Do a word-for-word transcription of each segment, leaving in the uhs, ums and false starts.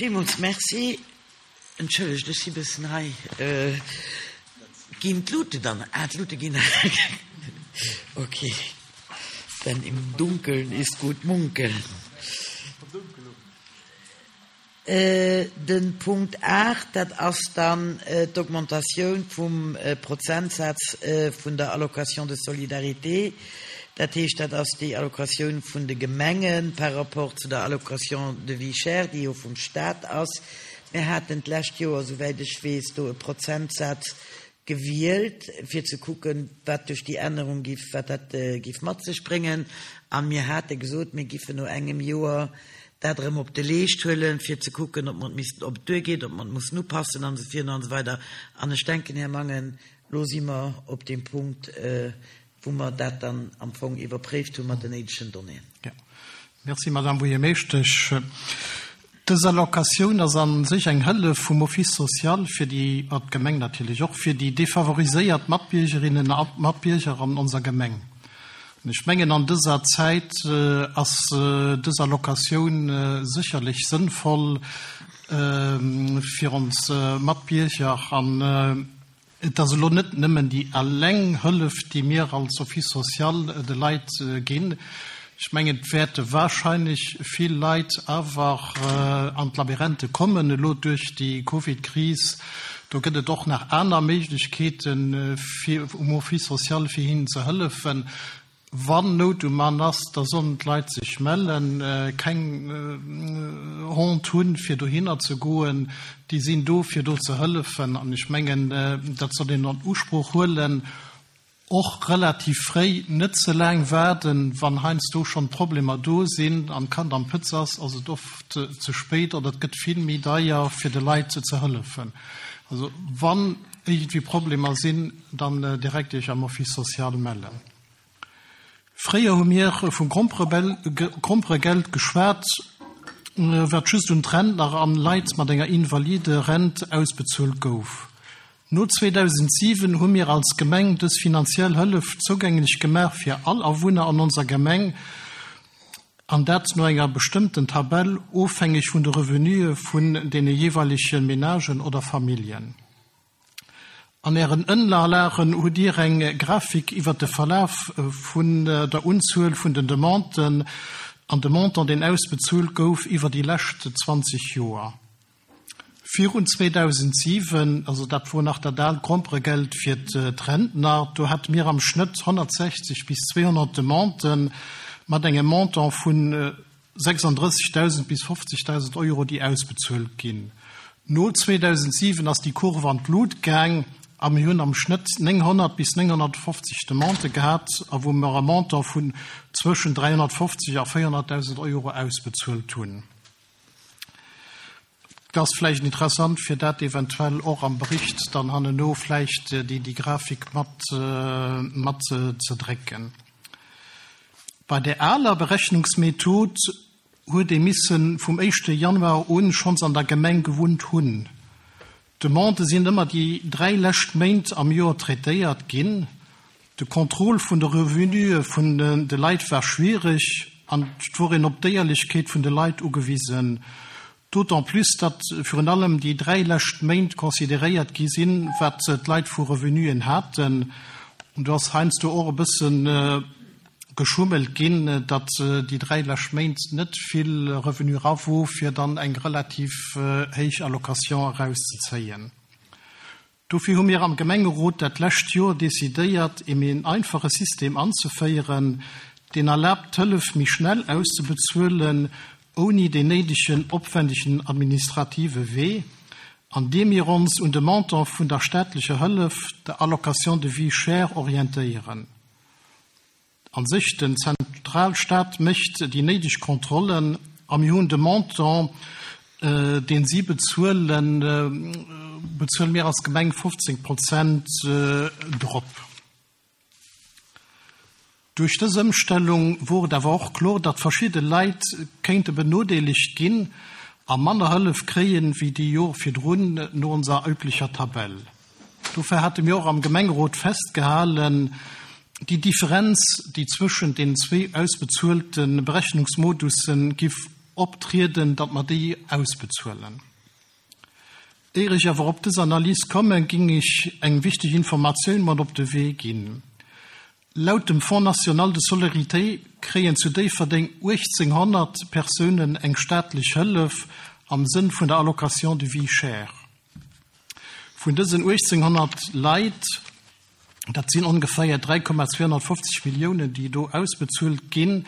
Villmools Merci. Entschëllegt, ech si bëssen hei. Ginn d'Lute dann? Ah, d'Lute ginn. Okay. Denn im Dunkeln ist gut munkeln. De Punkt aacht, dat ass dann d'Augmentatioun vum Prozentsaz vun der Allocation de solidarité. Dat heescht, dat ass déi Allocatioun vun de Gemenge par rapport zu der Allocation de vie chère, déi jo vum Staat ass. Mir haten d'lescht Joer, souwäit ech weess, do e Prozentsaz gewielt, fir ze kucken, wat duerch déi Ännerung giff, wat dat giff mat sech bréngen. A mir hate gesot, mir giffen no engem Joer dat erëm op de Leescht huelen, fir ze kucken, ob mer et missten, ob et duergeet, ob mer et mussen upassen an esou virun an esou weider. An ech denken, Här Mangen, elo si mer op deem Punkt, wou mer dat dann am Fong iwwerpréift hu mat den néidegen Donnéeën. Jo. Merci, Madame Buergermeeschtesch. Dës Allocatioun ass a sech eng Hëllef vum Office social fir déi, a d'Gemeng natierlech och, fir déi defavoriséiert Matbiergerinnen a Matbierger an onser Gemeng. An ech mengen, an dëser Zäit ass dës Allocatioun sécherlech sënnvoll fir ons Matbierger. An et ass elo net nëmmen déi eleng Hëllef, déi mir als Office social de Leit ginn. Ech mengen, et wäerte wahrscheinlech vill Leit awer an d'Labyrinthe kommen elo duerch déi Covid-Kris. Do gëtt et och nach aner Méiglechkeeten, fir um Office social, fir hinnen ze hëllefen. Wann Nout um Mann ass, da sollen d'Leit sech mellen, keng Honte hunn, fir dohinner ze goen. Déi sinn do, fir do ze hëllefen. An ech mengen, dat soll een an Usproch huelen, och relativ fréi, net ze laang waarden. Wann heiansdo schonn Problemer do sinn an d'Kand am Pëtz ass, ass et oft ze spéit oder et gëtt vill méi deier, fir de Leit ze hëllefen. Also wann iergendwéi Problemer sinn, dann direkt Iech am Office social mellen. Fréier hu mir vum Gromperegeld geschwat, wat just un d'Rentner an Leit mat enger Invaliderent ausbezuelt gouf. No zweedausendsiwen hu mir als Gemeng dës finanziell Hëllef zougänglech gemaach fir all Awunner an onser Gemeng, an dat no enger bestëmmten Tabell, ofhängeg vun de Revenuë vun deene jeeweilege Menagen oder Familljen. An Ären Ënnerlagen hutt Dir eng Grafik iwwer de Verlaf vun der Unzuel vun den Demanden an de Montant, deen ausbezuelt gouf iwwer déi lescht zwanzeg Joer. Virun zweedausendsiwen, also dat wor nach dat aalt Gromperegeld fir d'Rentner, do hate mir am Schnëtt honnertsechzeg bis zweehonnert Demanden mat engem Montant vu sechsandrëssigdausend bis fofzegdausend Euro, déi ausbezuelt ginn. No zweedausendsiwen ass déi Kurve an d'Lut gaang a mir hunn am Schnëtt nénghonnert bis nénghonnertfofzeg Demandë gehat a wou mer e Montant vun zwëschen dräihonnertfofzeg a véierhonnertdausend Euro ausbezuelt hunn. Et ass vläicht interessant, fir dat eventuell och am Bericht dann hanneno vläicht déi Grafik mat mat ze drécken. Bei där aler Berechnungsmethod huet ee misse vum éischte Januar un schonns an der Gemeng gewunnt hunn. D'Demandë sinn ëmmer déi dräi lescht Méint am Joer traitéiert ginn. De Contrôle vun de Revenuë vun de Leit war schwiereg an et wor een op d'Éierlechkeet vun de Leit ugewisen. D'autant plus, datt virun allem déi dräi lescht Méint consideréiert gi sinn, wat d'Leit vu Revenuen haten. An do ass heiansdo och e bësse geschummelt ginn, datt déi dräi lescht Méint net vill Revenu era wor, fir dann eng relativ héich Allocation erauszezéien. Dofir hu mir am Gemengerot dat lescht Joer decidéiert, ee méi einfache System anzeféieren, deen erlaabt, d'Hëllef méi schnell auszebezuelen, ouni deen néidegen opwändegen administrative Wee, an deem mir ons un de Montant vun der staatlecher Hëllef, der Allocation de vie chère, orientéieren. A sech, den Zentralstaat mécht déi néideg Kontrollen a mir hunn de Montant, deen si bezuelen, bezuele mir als Gemeng fofzéng Prozent drop. Duerch dës Ëmstellung wor et awer och kloer, datt verschidde Leit kéinte benodeelegt ginn a manner Hëllef kréien, wéi déi Jore virdrun no onser üblecher Tabell. Dofir hate mir och am Gemengerot festgehalen, déi Differenz, déi zwëschent deenen zwee ausbezuelte Berechnungsmodusse giff optrieden, datt mer déi ausbezuelen. Éier ech awer op dës Analys kommen, géing ech eng wichteg Informatioun mat op de Wee ginn. Laut dem Fonds national de solidarité kréien zu Déifferdeng uechtzénghonnert Persounen eng staatlech Hëllef am Sënn vun der Allocation de vie chère. Vun dësen uechtzénghonnert Leit, dat sinn ongeféier dräi Komma zweehonnertfofzeg Milliounen, déi do ausbezuelt ginn,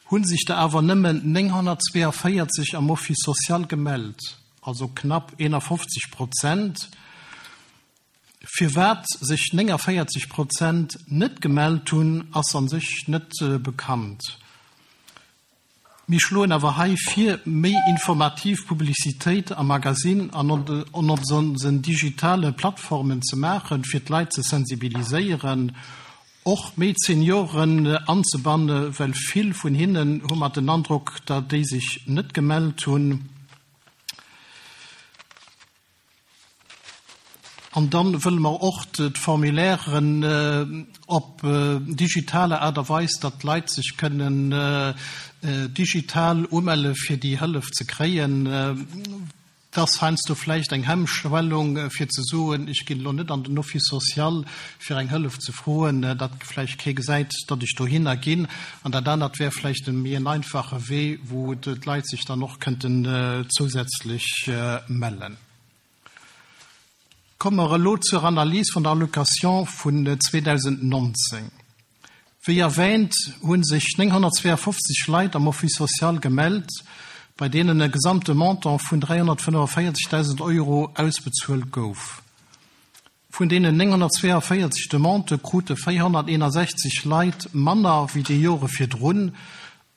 hu sech der awer nëmmen nénghonnertzweeavéierzeg am Office social gemellt, also knapp eenafofzeg Prozent. Firwat sech néngavéierzeg Prozent net gemellt hunn, ass a sech net bekannt. Mir schloen awer hei vir, méi informativ Publicitéit am Magasinn an op onsen digitale Plattformen ze maachen, fir d'Leit ze sensibiliséieren, och méi d'Senioren anzebanne well vill vun hinnen hu mer den Androck, datt déi sech net gemellt hunn. An dann wëlle mer och d'Formulairen op digitaler Aart a Weis, datt d'Leit sech kënnen digital umelle fir déi Hëllef ze kréien. Et ass heiansdo vläicht eng Hemmschwellung fir ze soen, ech ginn elo net an den Office social fir eng Hëllef ze froen, datt vläicht kee gesäit, datt ech dohinner ginn. An dat anert wär vläicht e méi en einfache Wee, wou d'Leit sech dann och kënnten zousätzlech mellen. Komme mer elo zur Analys vun der Allocation vun zweedausendnonzéng. Wéi erwähnt, hu sech nénghonnertzweeafofzeg Leit am Office social gemellt, bei deenen e gesamte Montant vun dräihonnertfënnefavéierzegdausend Euro ausbezuelt gouf. Vun deenen nénghonnertzweeavéierzeg Demandë krute véierhonnerteenasechzeg Leit manner wéi déi Jore virdrun,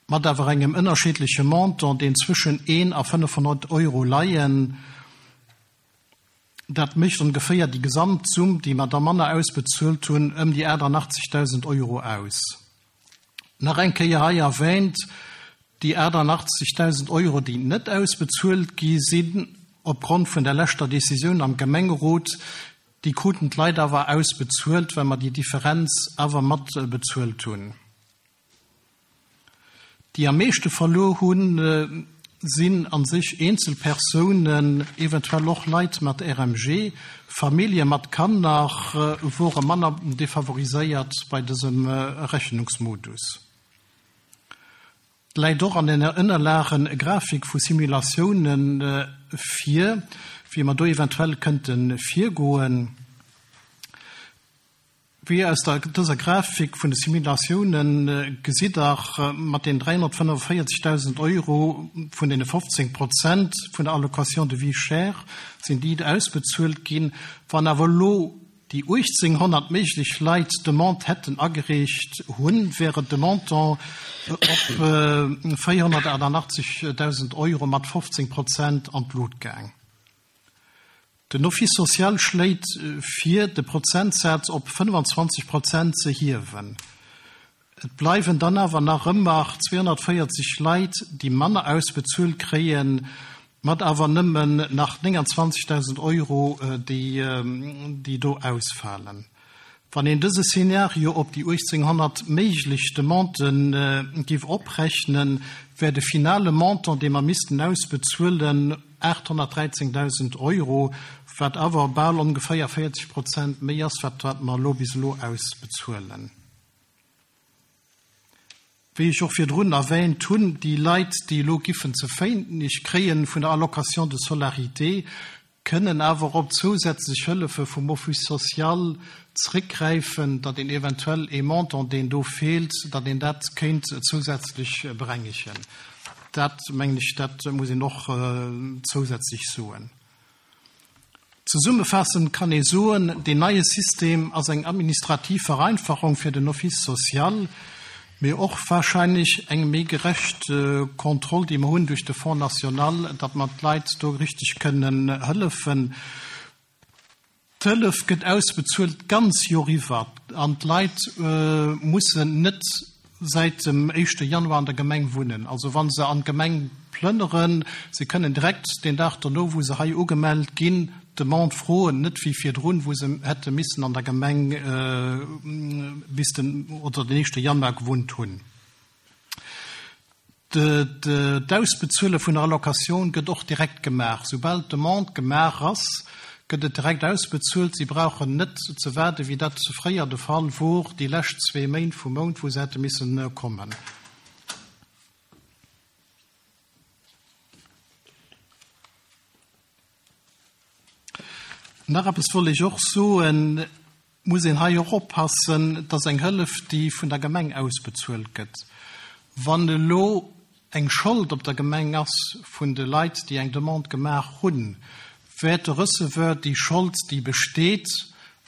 mat awer engem ënnerschiddleche Montant, deen zwëschen een a fënnefhonnert Euro leien. Dat mécht ongeféier déi gesamt Summ, déi mer da manner ausbezuelt hunn, ëm déi aachtanachtzegdausend Euro aus. Nach eng Kéier hei erwähnt, déi aachtanachtzegdausend Euro, déi net ausbezuelt gi sinn, opgrond vun der leschter Décisioun am Gemengerot, déi kruten d'Leit awer ausbezuelt, well mer déi Differenz awer mat bezuelt hunn. Déi am meeschte verluer hunn, sinn a sech eenzel Persounen, eventuell och Leit mat R M G. Famillje mat Kanner wore manner defavoriséiert bei dësem Rechnungsmodus. Et läit och an den Ënnerlagen e Grafik vu Simulatiounen vir, wéi mer do eventuell kënnte virgoen. Wéi aus der dëser Grafik vun de Simulatiounen gesitt Der, mat den dräihonnertfënnefavéierzegdausend Euro vun deene fofzéng Prozent vun der Allocation de vie chère sinn déi ausbezuelt ginn. Wann awer elo déi uechtzénghonnert méiglech Leit d'Demande hätten agereecht hunn, wäre de Montant op véierhonnertaachtannachtzegdausend Euro mat fofzéng Prozent an d'Lut gaang. Den Office social schléit vir, de Prozentsaz op fënnefanzwanzeg Prozent ze hiewen. Et bleiwen dann awer nach ëmmer zweehonnertvéierzeg Leit, déi manner ausbezuelt kréien, mat awer nëmmen nach nénganzwanzegdausend Euro, déi do ausfalen. Wann een dëse Szenario op déi uechtzénghonnert méiglech Demandë géif oprechnen, wär de finale Montant, dee mer missten ausbezuelen, aathonnertdräizéngdausend Euro, wat awer bal ongeféier véierzeg Prozent méi ass, wat wat mer elo bis elo ausbezuelen. Wéi ech och virdrun erwähnt hunn, déi Leit, déi elo giffen ze wéineg kréien vun der Allocation de solidarité, kënnen awer op zousätzlech Hëllefe vum Office social zréckgräifen, datt een eventuell ee Montant, deen do feelt, datt een dat kéint zousätzlech berengegen. Dat, mengen ech, dat muss een och zousätzlech soen. Zesummefaassend kann ee soen, deen neie System ass eng administrativ Vereinfachung fir den Office social, mee och wahrscheinlech eng méi gerecht Kontroll, déi mer hunn duerch de Fonds national, datt mer d'Leit do richteg kënnen hëllefen. D'Hëllef gëtt ausbezuelt d'ganz Joer iwwer an d'Leit mussen net säit dem éischte Januar an der Gemeng wunnen. Also wa se an d'Gemeng plënneren, se kënnen direkt deen Dag dono, wou se hei ugemellt ginn, d'Demande froen, net wéi virdrun, wou se hätte missen an der Gemeng bis den oder den éischte Januar gewunnt hunn. D'Ausbezuele vun der Allocatioun gëtt och direkt gemaach. Soubal d'Demande gemaach ass, gëtt et direkt ausbezuelt. Si brauchen net ze waarden, wéi dat fréier de Fall wor, déi lescht zwee Méint vum Mount, wou se hätte missen kommen. Nach eppes wollt ech och soen, muss een hei och oppassen, dass eng Hëllef, déi vun der Gemeng ausbezuelt gëtt, wann elo eng Schold op der Gemeng ass vun de Leit, déi eng Demande gemaach hunn, wäert de Receveur déi Schold, déi besteet,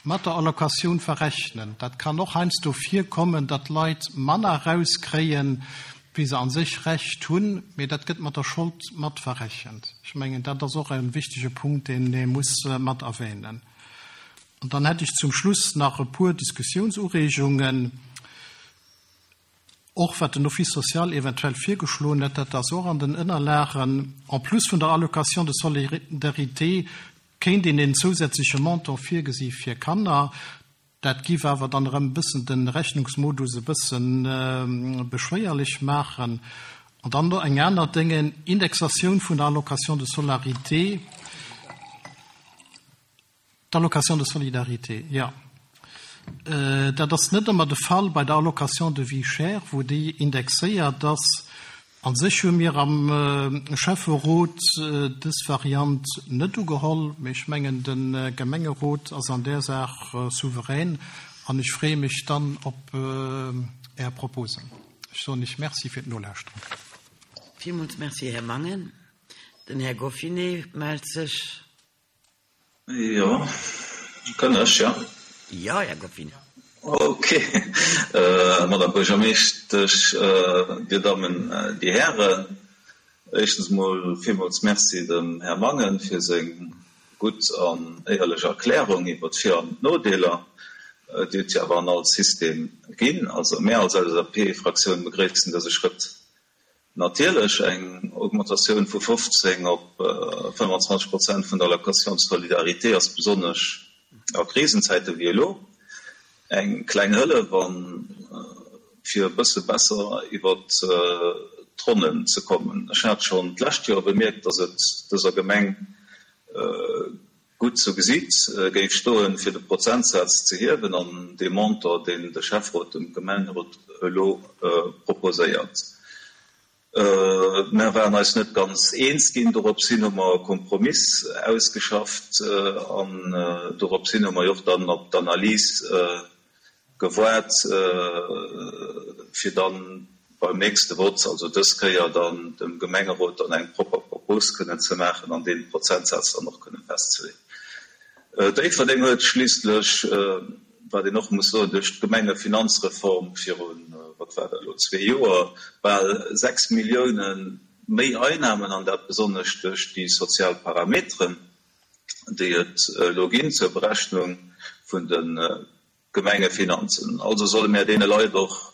mat der Allocatioun verrechnen. Dat kann och heiansdo virkommen, datt Leit manner erauskréien, wéi se an sech Recht hunn, mee dat gëtt mat der Schold mat verrechent. Ech mengen, dat ass och e wichtege Punkt, deen ee muss mat erwähnen. An dann hätt ech zum Schluss nach e puer Diskussiounsureegungen, och wat den Office social eventuell virgeschloen huet, dat ass och an den Ënnerlagen. En plus vun der Allocation de solidarité kéint een en zousätzleche Montant virgesi fir Kanner. Dat giff awer dann erëm e bëssen de Rechnungsmodus e bëssen beschwéierlech maachen. An dann do eng aner Dénge, Indexatioun vun der Allocation de solarité, d'Allocation de solidarité, jo. Dat ass net ëmmer de Fall bei der Allocation de vie chère, wou déi indexéiert ass. An sech hu mir am Schäfferot dës Variant net ugeholl, mee ech mengen, de Gemengerot ass an där Saach souverän an ech freeë mech dann op Är Proposen. Ech soen Iech Merci fir d'Nolauschteren. Villmools Merci, Här Mangen. Den Här Goffinet mellt sech. Jo, kënn ech, jo. Jo, Här Goffinet. Ok, Madame Buergermeeschtesch, Dir Dammen, Dir Hären, éischtens emol villmools Merci dem Här Mangen fir seng gutt an éierlech Erklärung iwwer d'Vir an d'Nodeeler, déi et jo awer an all System ginn. Also mär als L S A P-Fraktioun begréissen dëse Schrëtt natierlech. Eng Augmentatioun vu fofzéng op fëmmandzwanzeg Prozent vun der Allocation de solidarité ass besonnesch a Krisenzäite wéi elo eng kleng Hëllef an fir e bësse besser iwwer d'Ronnen ze kommen. Ech hat schonn d'lescht Joer bemierkt, datt et dëser Gemeng gutt zu Gesiit géif stoen, fir de Prozentsaz ze hiewen an dee Montant, deen de Schäfferot dem Gemengerot elo proposéiert. Mär waren eis net ganz eens ginn. Dorops hin hu mer e Kompromiss ausgeschafft an dorops hin hu mer jo och dann op d'Analys gewaart, fir dann beim nächste Vott, also dës Kéier dann dem Gemengerot dann eng propper Propos kënnen ze maachen an dee Prozentsaz dann och kënnen festzeleeën. Déifferdeng huet schliisslech, wat een och muss soen, duerch d'Gemengefinanzreform virun, wat war dat elo, zwee Joer, bal sechs Millioune méi Einnahmen, an dat besonnesch duerch déi sozial Parameteren, déi et elo ginn zur Berechnung vun de Gemengefinanzen. Also solle mär deene Leit och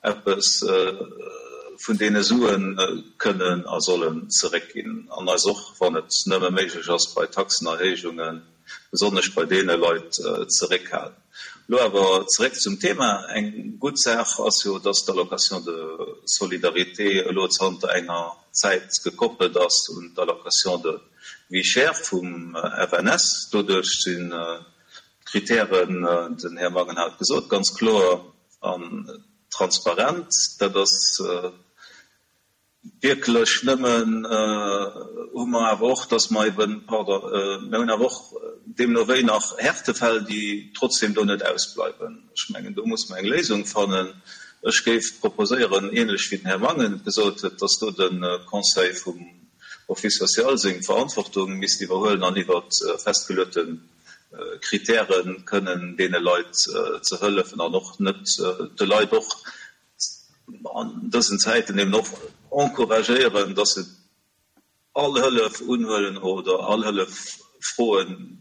eppes vun deene Suen kënnen a sollen zeréckginn an eis och, wann et nëmme méiglech ass, bei Taxenerhéijungen, besonnesch bei deene Leit, zeréckhalen. Elo awer zeréck zum Thema. Eng gutt Saach ass jo, dass d'Allocation de solidarité elo zanter enger Zäit gekoppelt ass un d'Allocation de vie chère vum F N S. Doduerch sinn d'Kritären, den Här Mangen hat gesot, ganz kloer an transparent. Dat ass wierklech nëmmen, hu mer awer och, dass mer eben, pardon, mir hunn awer och deemno wéi nach Härtefäll, déi trotzdem do net ausbleiwen. Ech mengen, do muss mer eng Léisung fannen. Ech géif proposéieren, ähnlech wéi den Här Mangen gesot huet, dass do de Conseil vum Office social seng Verantwortung misst iwwerhuelen an iwwer festgeluete Kritären kënnen deene Leit ze hëllefen an och net de Leit och an dësen Zäiten eben och encouragéieren, dass se all Hëllef unhuelen oder all Hëllef froen,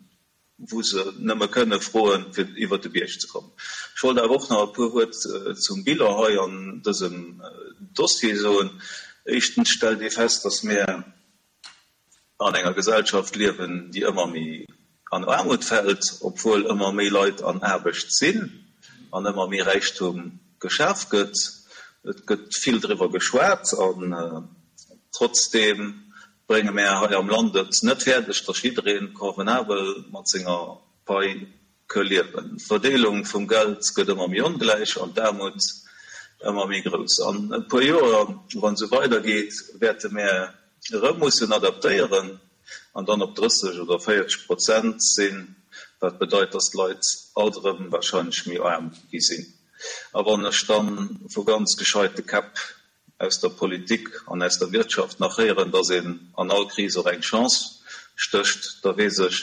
wou se nëmme kënne froen, fir iwwer de Bierg ze kommen. Ech wollt awer och nach e puer Wuert zum Bilan hei an dësem Dossier soen. Éischtens stellt ee fest, dass mir an enger Gesellschaft liewen, déi ëmmer méi an Aarmut fält, obwuel ëmmer méi Leit an Aarbecht sinn an ëmmer méi Räichtum geschaf gëtt. Et gëtt vill driwwer geschwat an trotzdeem brénge mär hei am Land et net fäerdeg, datt jidderee convenabel mat senger Pai ke liewen. D'Verdeelung vum Geld gëtt ëmmer méi ongläich an d'Aarmut ëmmer méi grouss. An e puer Joer, wann esou weidergeet, wäerte mär erëm mussen adaptéieren an dann op drësseg oder véierzeg Prozent sinn, wat bedeit, datt d'Leit alt erëm wahrscheinlech méi aarm gi sinn. A wann ech dann vu ganz gescheite Käpp aus der Politik an aus der Wirtschaft nach héieren, datt een an all Kris och eng Chance stécht, da weess ech,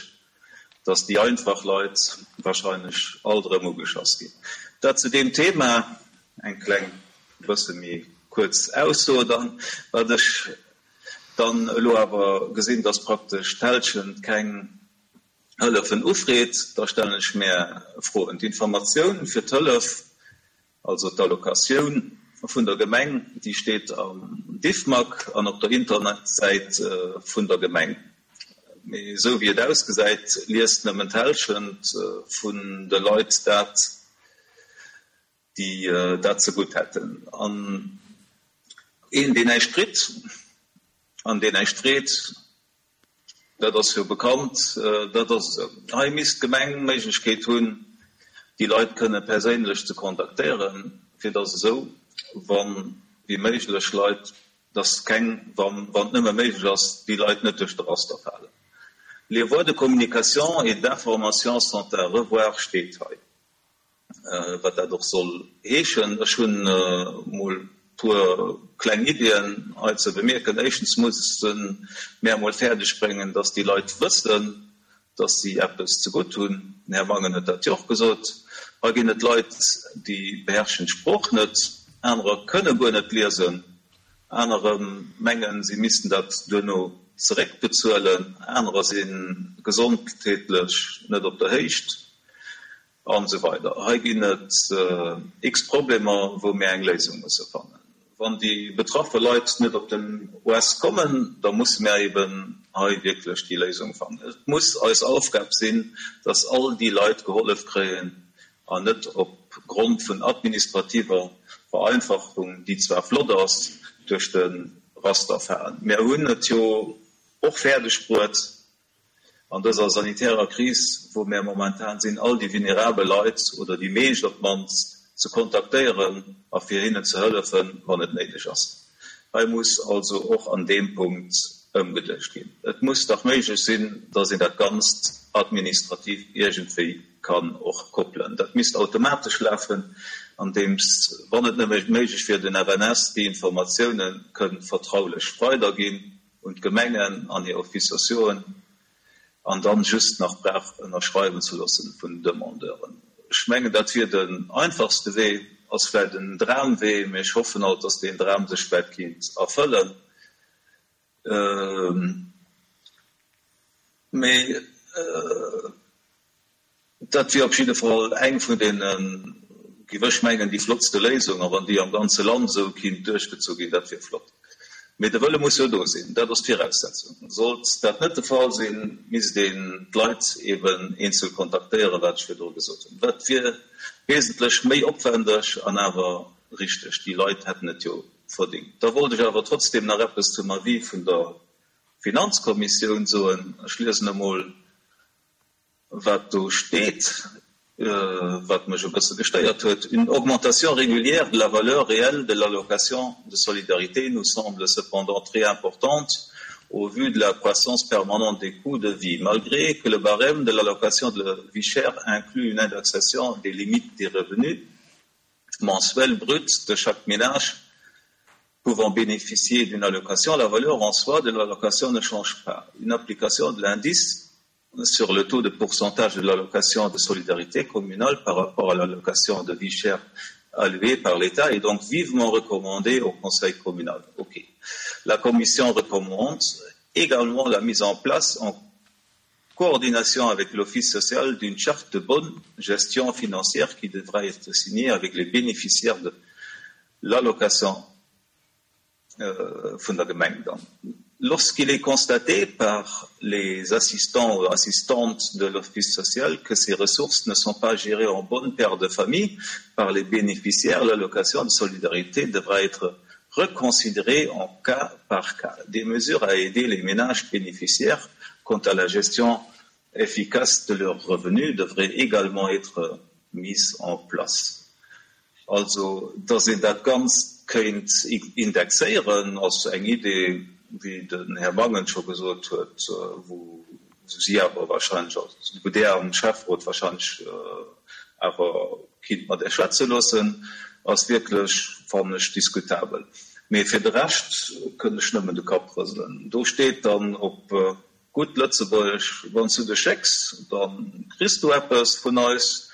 datt déi einfach Leit wahrscheinlech alt erëm ugeschass ginn. Dat zu deem Thema. Eng kleng, e bësse méi kuerz Ausso dann. Wat ech dann elo awer gesinn, datt praktesch d'Hälschent keng Hëllefen ufreet, da stellen ech mär Froen. D'Informatioun fir d'Hëllef, also d'Allocatioun vun der Gemeng, déi steet am Diffmag an op der Internetsäit vun der Gemeng. Mee esou wéi et ausgesäit, liest nëmmen d'Hälschent vun de Leit dat, déi dat zegutt hätten. An een, deen näischt kritt an deen näischt freet, dat ass jo bekannt, dat ass esou. Hei misst d'Gemeng d'Méiglechkeet hunn, déi Leit kënne perséinlech ze kontaktéieren, fir dass esou wann wéi méiglech Leit, dass keng, wann et nëmme méiglech ass, déi Leit net duerch de Raster falen. Les voies de communication et d'information sont à revoir steet hei. Wat dat och soll heeschen. Ech hunn emol e puer kleng Iddien hei ze bemierken. Éischtens musse mär emol fäerdeg bréngen, dass déi Leit wëssen, dass si eppes zegutt hunn. Den Här Mangen huet dat jo och gesot. Hei ginn et Leit, déi beherrschen d'Sprooch net, anerer kënne guer net liesen, anerer mengen, si missten dat duerno zeréckbezuelen, anerer si gesondheetlech net op der Héicht. An esou weider. Hei ginn et x Problemer, wou mir eng Léisung musse fannen. Wann déi betraffe Leit net op den O S kommen, da musse mir eben hei wierklech déi Léisung fannen. Et muss eis Aufgab sinn, dass all déi Leit gehollef kréien an net op Grond vun administrativer Vereinfachung, déi zwar flott ass, duerch de Raster falen. Mir hunn et jo och fäerdeg bruet, an dëser sanitärer Kris, wou mir momentan sinn, all déi vulnerabel Leit oder déi meescht op d'mannst ze kontaktéieren a fir hinnen ze hëllefen, wann et néideg ass. Hei muss also och an deem Punkt ëmgeduecht ginn. Et muss dach méiglech sinn, dass een dat Ganzt administrativ iergendwéi kann och koppelen. Dat misst automatesch lafen, andeems, wann et nëmme méiglech wier, den F N S déi Informatioune kënnt vertraulech weiderginn un d'Gemengen an hir Office sociauxen an dann just nach brauch ënnerschreiwen ze loossen vun Demandeuren. Ech mengen, dat wier den einfachste Wee, ass vläicht en Dramwee, mee ech hoffen alt, dass deen Dram sech vläicht kinnt erfëllen. Mee dat wier op jidde Fall eng vun deenen, géif ech mengen, déi flottste Léisung, a wann déi am ganze Land esou kinnt duerchgezu ginn, dat wier flott. Mee de Wëlle muss jo do sinn, dat ass d'Viraussetzung. Sollt dat net de Fall sinn, misst een d'Leit eben eenzel kontaktéieren, wat ech virdru gesot hunn. Dat wier wesentlech méi opwendeg an awer richteg. Déi Leit hätten et jo verdingt. Da wollt ech awer trotzdem nach eppes zum Avis vun der Finanzkommissioun soen. Ech liesen emol, wat do steet, wat mech e bësse gestéiert huet. Une augmentation régulière de la valeur réelle de l'allocation de solidarité nous semble cependant très importante au vu de la croissance permanente des coûts de vie. Malgré que le barème de l'allocation de vie chère inclut une indexation des limites des revenus mensuels bruts de chaque ménage pouvant bénéficier d'une allocation, la valeur en soi de l'allocation ne change pas. Une application de l'indice sur le taux de pourcentage de l'allocation de solidarité communale par rapport à l'allocation de vie chère allouée par l'État est donc vivement recommandée au Conseil communal. Ok. La Commission recommande également la mise en place en coordination avec l'Office social d'une charte de bonne gestion financière qui devra être signée avec les bénéficiaires de l'allocation vun der Gemeng dann. Lorsqu'il est constaté par les assistants ou assistantes de l'office social que ces ressources ne sont pas gérées en bonne père de famille par les bénéficiaires, l'allocation de solidarité devra être reconsidérée en cas par cas. Des mesures à aider les ménages bénéficiaires quant à la gestion efficace de leurs revenus devraient également être mises en place. Also, dass een dat Ganzt kéint indexéieren, ass eng Idee, wéi den Här Mangen scho gesot huet, wou si awer wahrscheinlech, wou Der am Schäfferot wahrscheinlech awer kinnt mat Iech schwätze loossen, ass wierklech, fannen ech, diskutabel. Mee fir de Rescht kënn ech nëmmen de Kapp rëselen. Do steet dann op gutt Lëtzebuergesch, Wann s du dech schécks, da kriss du eppes vun eis,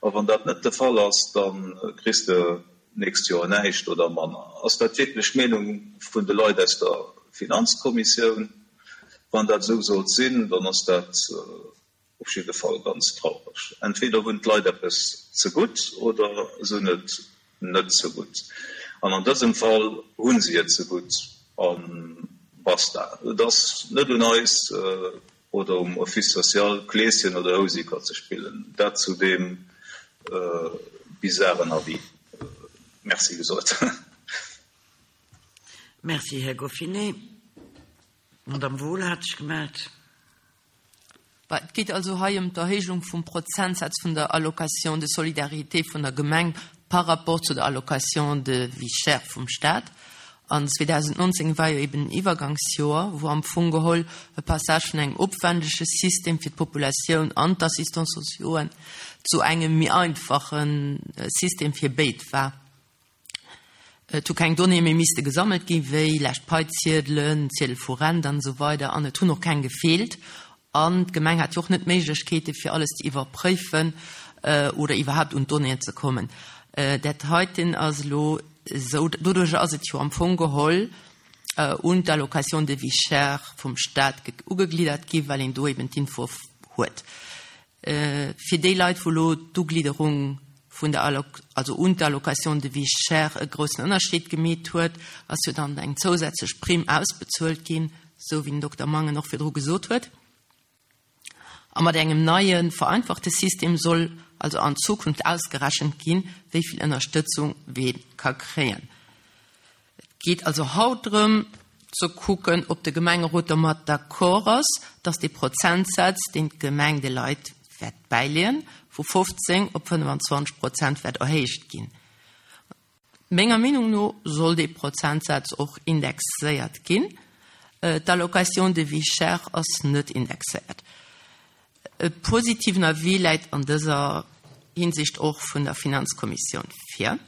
a wann dat net de Fall ass, da kriss de d'nächst Joer näischt oder manner. Ass dat wierklech d'Meenung vun de Leit aus der Finanzkommissioun? Wann dat esou sollt sinn, dann ass dat op jidde Fall ganz traureg. Entweder hunn d'Leit eppes ze gutt oder se hunn et net ze gutt. An an dësem Fall hu si et ze gutt a basta. Et ass net un eis oder um Office social, Kleeschen oder Houseker ze spillen. Dat zu deem bizaren Avis. Merci gesot. Merci, Här Goffinet. D'Madame Wohl hat sech gemellt. Et geet also hei ëm d'Erhéijung vum Prozentsaz vun der Allocation de solidarité vun der Gemeng par rapport zu der Allocation de vie chère vum Staat. An zweedausendnonzéng war jo eben en Iwwergangsjoer, wou am Fong geholl e Passage vun engem opwändege System fir d'Populatioun an d'Assistants sociauxen zu engem méi einfache System fir béid war. Et hu keng Donnéeë méi misste gesammelt ginn, wéi lescht Paiziedelen, Ziedel vu Rent an esou weider, an et hunn och keng gefeelt. An d'Gemeng hat jo och net d'Méiglechkeete fir alles ze iwwerpréifen oder iwwerhaapt un d'Donnéeën ze kommen. Dat heiten ass elo esou, doduerjer ass et jo am Fong geholl un d'Allocation de vie chère vum Staat ugegliddert gi, well een do eben d'Info huet. Fir déi Leit, wou elo d'Uglidderung vun der Alloc, also un d'Allocation de vie chère e groussen Ënnerscheed gemeet huet, ass jo dann eng zousätzlech Primm ausbezuelt ginn, esou wéi den Dokter Mangen och virdru gesot huet. A mat engem neie vereinfachte System soll also an Zukunft ausgerechent ginn, wéi vill Ënnerstëtzung wee ka kréien. Et geet also haut drëm ze kucken, ob de Gemengerot domat d'accord ass, dass dee Prozentsaz, deen d'Gemeng de Leit wäert bäileeën, vu fofzéng op fënnefenzwanzeg Prozent wäert erhéicht ginn. Menger Meenung no soll dee Prozentsaz och indexéiert ginn. D'Allocation de vie chère ass net indexéiert. E positiven Avis läit an dëser Hinsicht och vun der Finanzkommissioun vir.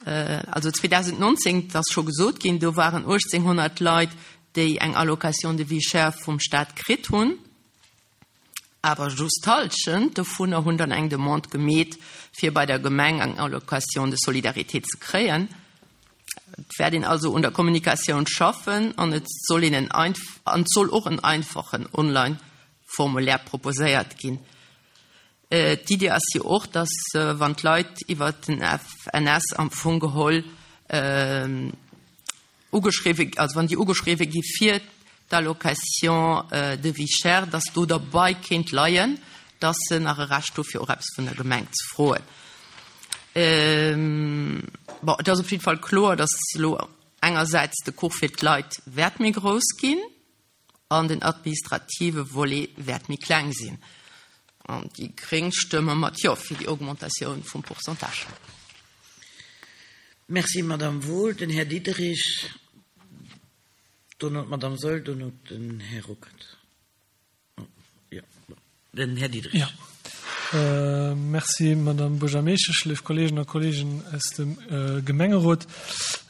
Also zweedausendnonzéng, et ass scho gesot ginn, do waren uechtzénghonnert Leit, déi eng Allocation de vie chère vum Staat kritt hunn, awer just d'Hallschent dovunner hunn dann eng Demande gemeet, fir bei der Gemeng eng Allocation de solidarité ze kréien. Et wäert een also un der Kommunikatioun schaffen an et soll een en an et soll och en einfachen Online-Formulaire proposéiert ginn. D'Idee ass jo och, dass wann d'Leit iwwert den F N S am Fong geholl ugeschriwwe, also wann déi ugeschriwwe gi fir d'Allocation de vie chère, dass do derbei kéint leien, dass se nach e Recht hu fir och eppes vun der Gemeng ze froen. Bon, et ass op jidde Fall kloer, dass elo engersäits de Kuch fir d'Leit wäert méi grouss ginn an den administrative Volet wäert méi kleng sinn. An déi Gréng stëmme mat Jo fir déi Augmentatioun vum Pourcentage. Merci, Madame Wohl. Den Här Diderich, dono d'Madame Saeul, dono den Här Ruckert. Jo, den Här Diderich. Jo. Merci, Madame Buergermeeschtesch, léif Kolleeginnen a Kolleegen aus dem Gemengerot.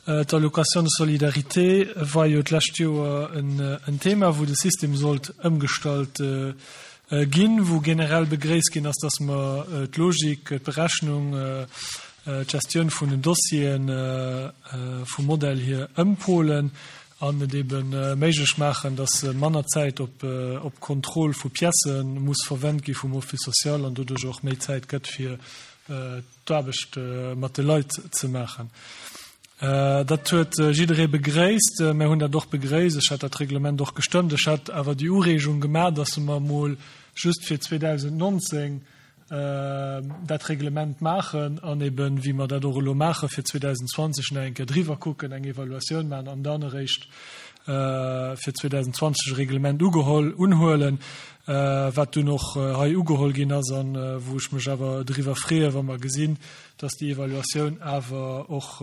D'Allocation de solidarité war jo d'lescht Joer en Thema, wou de System sollt ëmgestallt ginn, wou generell begréisst ginn ass, dass mer d'Logik, d'Berechnung, d'Gestioun vun den Dossieren vum Modell hier ëmpolen an et ebe méiglech maachen, dass manner Zäit op Kontroll vu Piècë muss verwent gi vum Office social an doduerch och méi Zäit gëtt, fir d'Aarbecht mat de Leit ze maachen. Dat huet jidderee begréisst. Mir hunn dat och begréisst. Ech hat dat Reglement och gestëmmt. Ech hat awer déi Ureegung gemaach, dass mer emol just fir zweedausendnonzéng dat Reglement maachen an eben, wéi mer dat och elo maachen, fir zweedausendzwanzeg nach eng Kéier driwwer kucken, eng Evaluatioun maachen an dann eréischt fir zweedausendzwanzeg e Reglement ugeholl, unhuelen, wat dunn och hei ugeholl ginn ass an wou ech mech awer driwwer freeë wa mer gesinn, dass déi Evaluatioun awer och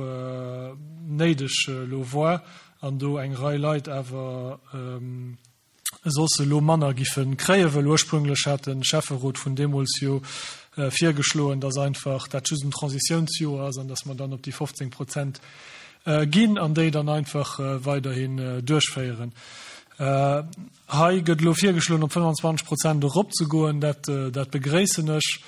néideg elo war an do eng Rei Leit awer soss elo manner giffe kréien, well ursprünglech hat de Schäfferot vun deemools jo virgeschloen, dass einfach dat just en Transitiounsjoer ass an dass mer dann op déi fofzéng Prozent ginn an déi dann einfach weiderhin duerchféieren. Hei gëtt elo virgeschloen, op fënnfanzwanzeg Prozent eropzegoen. Dat, dat begréissen ech.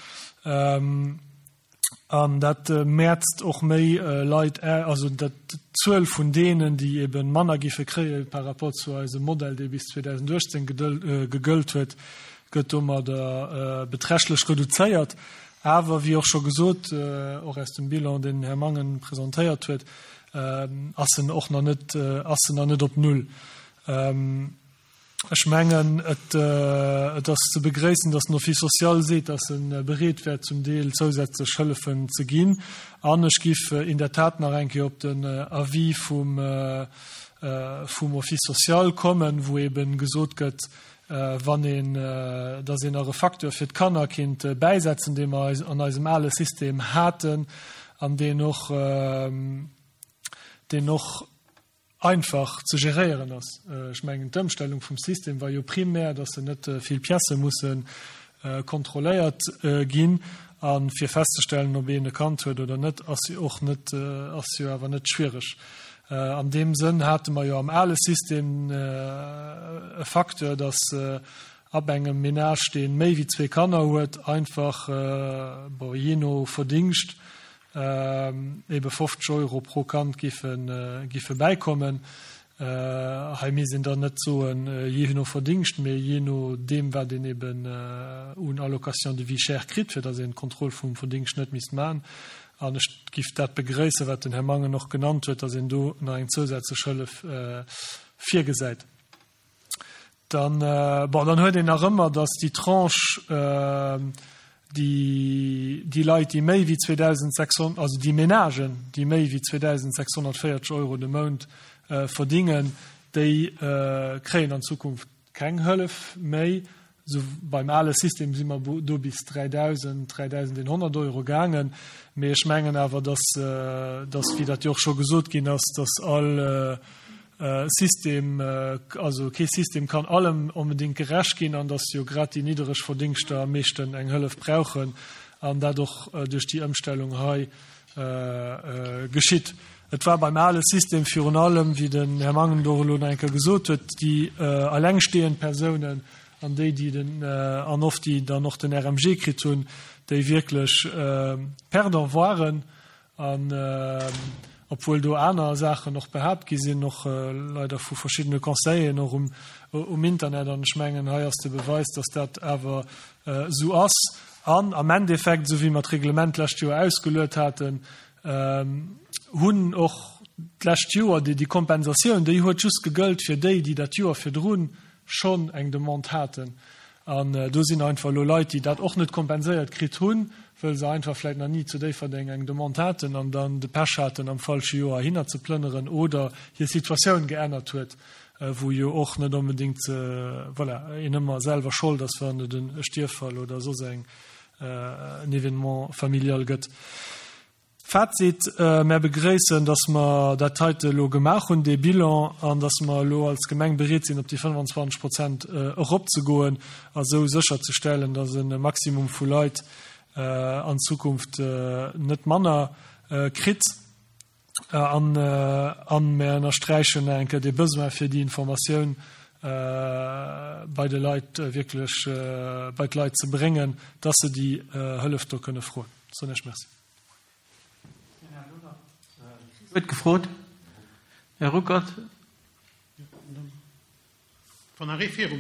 An dat mäerzt och méi Leit, also dat d'Zuel vun deenen, déi ebe manner giffe kréie par rapport zu eisem Modell, dee bis zweedausenduechtzéng gegëllt huet, gëtt domadder beträchtlech reduzéiert. Awer, wéi och scho gesot, och aus dem Bilan, deen den Här Mangen presentéiert huet, ass en och nach net, ass en nach net op Null. Ech mengen, et ass ze begréissen, dass den Office social seet, dass e bereet wär, zum Deel zousätzlech Hëllefen ze ginn. An ech giff in der Tat nach eng Kéier op den Avis vum Office social kommen, wou eeben gesot gëtt, wann een, dass een nach e Facteur fir d'Kanner kinnt bäisetzen, dee mer an eisem ale System haten an deen och, deen och einfach ze geréieren ass. Ech mengen, d'Ëmstellung vum System war jo primär, dass se net vill Piècë musse kontrolléiert ginn. A fir festzestellen, ob een e Kand huet oder net, ass jo och net, ass jo awer net schwiereg. An deem Sënn hate mer jo am ale System e Facteur, dass ab engem Ménage, dee méi wéi zwee Kanner huet, einfach, bon, jee no Verdingscht, ebe fofzeg Euro pro Kand giffe bäikommen. Hei misst een dann net soen, jee no Verdingscht, mee jee no deem, wat een eben un Allocation de vie chère kritt, fir datt een d'Kontroll vum Verdingscht net misst maachen. An ech giff dat begréissen, wat den Här Mangen och genannt huet, datt een do nach eng zousätzlech Hëllef virgesäit. Dann, bon, dann huet een nach ëmmer, datt déi Tranche, déi, déi Leit, déi méi wéi zweedausendsechshonnert, also déi Ménagen, déi méi wéi zweedausendsechshonnertvéierzeg Euro de Mount verdingen, déi kréien an Zukunft keng Hëllef méi. Esou beim ale System si mer do bis dräidausend, dräidausendeenhonnert Euro gaangen. Mee ech mengen awer, dass, dass, wéi dat jo och scho gesot ginn ass, dass all System, also kee System kann allem onbedéngt gerecht ginn an dass jo grad déi niddereg Verdingschter am meeschten eng Hëllef brauchen an dat och duerch déi Ëmstellung hei geschitt. Et war beim ale System virun allem, wéi den Här Mangen do elo nach eng Kéier gesot huet, déi allengstehend Persounen an déi, déi den, an oft déi dann och den R M G kritt hunn, déi wierklech perdant waren. An obwuel do aner Saachen och behaapt gi sinn, och leider vu verschiddene Conseilleren och um Internet, an ech mengen, hei ass de Beweis, dass dat awer esou ass. An am Endeffekt, esou wéi mer d'Reglement d'lescht Joer ausgeluet haten, hunn och d'lescht Joer déi Kompensatioun, déi huet just gegëllt fir déi, déi dat Joer virdrun schonn eng Demande haten. An do sinn einfach elo Leit, déi dat och net kompenséiert kritt hunn, wëll se einfach vläicht nach ni zu Déifferdeng eng Demande haten an dann de Pech haten, am falsche Joer heihinner ze plënneren oder hir Situatioun geännert huet, wou jo och net onbedéngt, voilà, een ëmmer selwer Schold ass, wann et e Stierffall oder soss eng en Événement familial gëtt. Fazit, Mär begréissen, dass mer dat heite elo gemaach hunn, dee Bilan, an dass mer elo als Gemeng bereet sinn, op déi fënnfanzwanzeg Prozent eropzegoen a sou sécherzestellen, dass e Maximum vu Leit an Zukunft net manner kritt. An mär ënnersträichen nach eng Kéier dee Besoin, fir déi Informatioun bei de Leit wierklech bei d'Leit ze bréngen, dass se déi Hëllef do kënne froen. Soen ech Merci. Huet gefrot. Här Ruckert.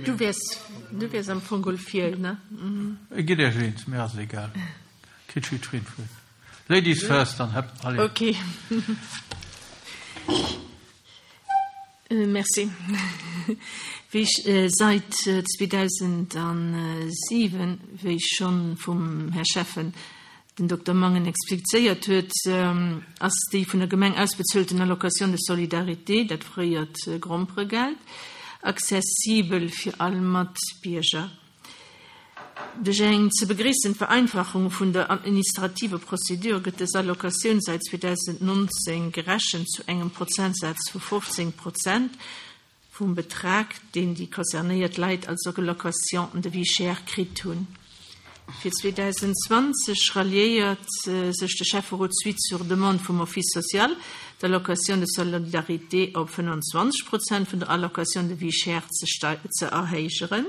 Du wiers, du wiers am Fong geholl vir, ne? Gitt Iech eens, mir ass et egal. Kritt jiddwereen d'Wuert. Ladies first, dann, allez. Okay. Merci. Wéi ech säit zweedausentsiwen, wéi schonn vum Här Schäffen, den Dokter Mangen, explizéiert huet, ass déi vun der Gemeng ausbezuelten Allocation de solidarité, dat fréiert Gromperegeld, accessibel fir all Matbierger. Duerch eng ze begréissend Vereinfachung vun der administrativer Prozedur gëtt dës Allocatioun säit zweedausendnonzéng gerechent zu engem Prozentsaz vu fofzéng Prozent vum Betrag, deen déi concernéiert Leit als Allocation de vie chère kritt hunn. Fir zweedausendzwanzeg ralliéiert sech de Schäfferot suite sur demande vum Office social, d'Allocation de solidarité op fënnwanzwanzeg Prozent vun der Allocation de vie chère ze erhéijeren,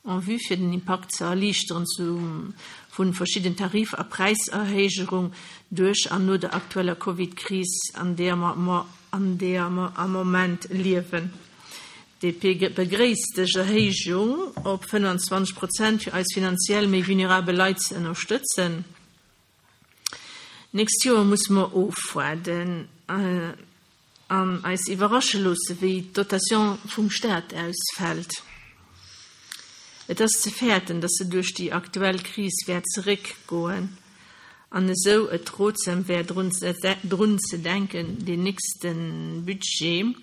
en vue fir den Impakt ze erliichteren vu verschidden Tarif a Präiserhéijerung duerch an no der aktueller Covid-Kris, an deeër mer an deeër mer am Moment liewen. D P begréisst dës Erhéijung op fënnwanzwanzeg Prozent fir eis finanziell méi vulnerabel Leit ze ënnerstëtzen. Nächst Joer musse mer ofwaarden an eis iwwerrasche loosse wéi d'Dotation vum Staat ausfält. Et ass ze fäerten, datt se duerch déi aktuell Kris wäert zeréckgoen an esou et rotsam wär drun ze denken, deen nächste Budget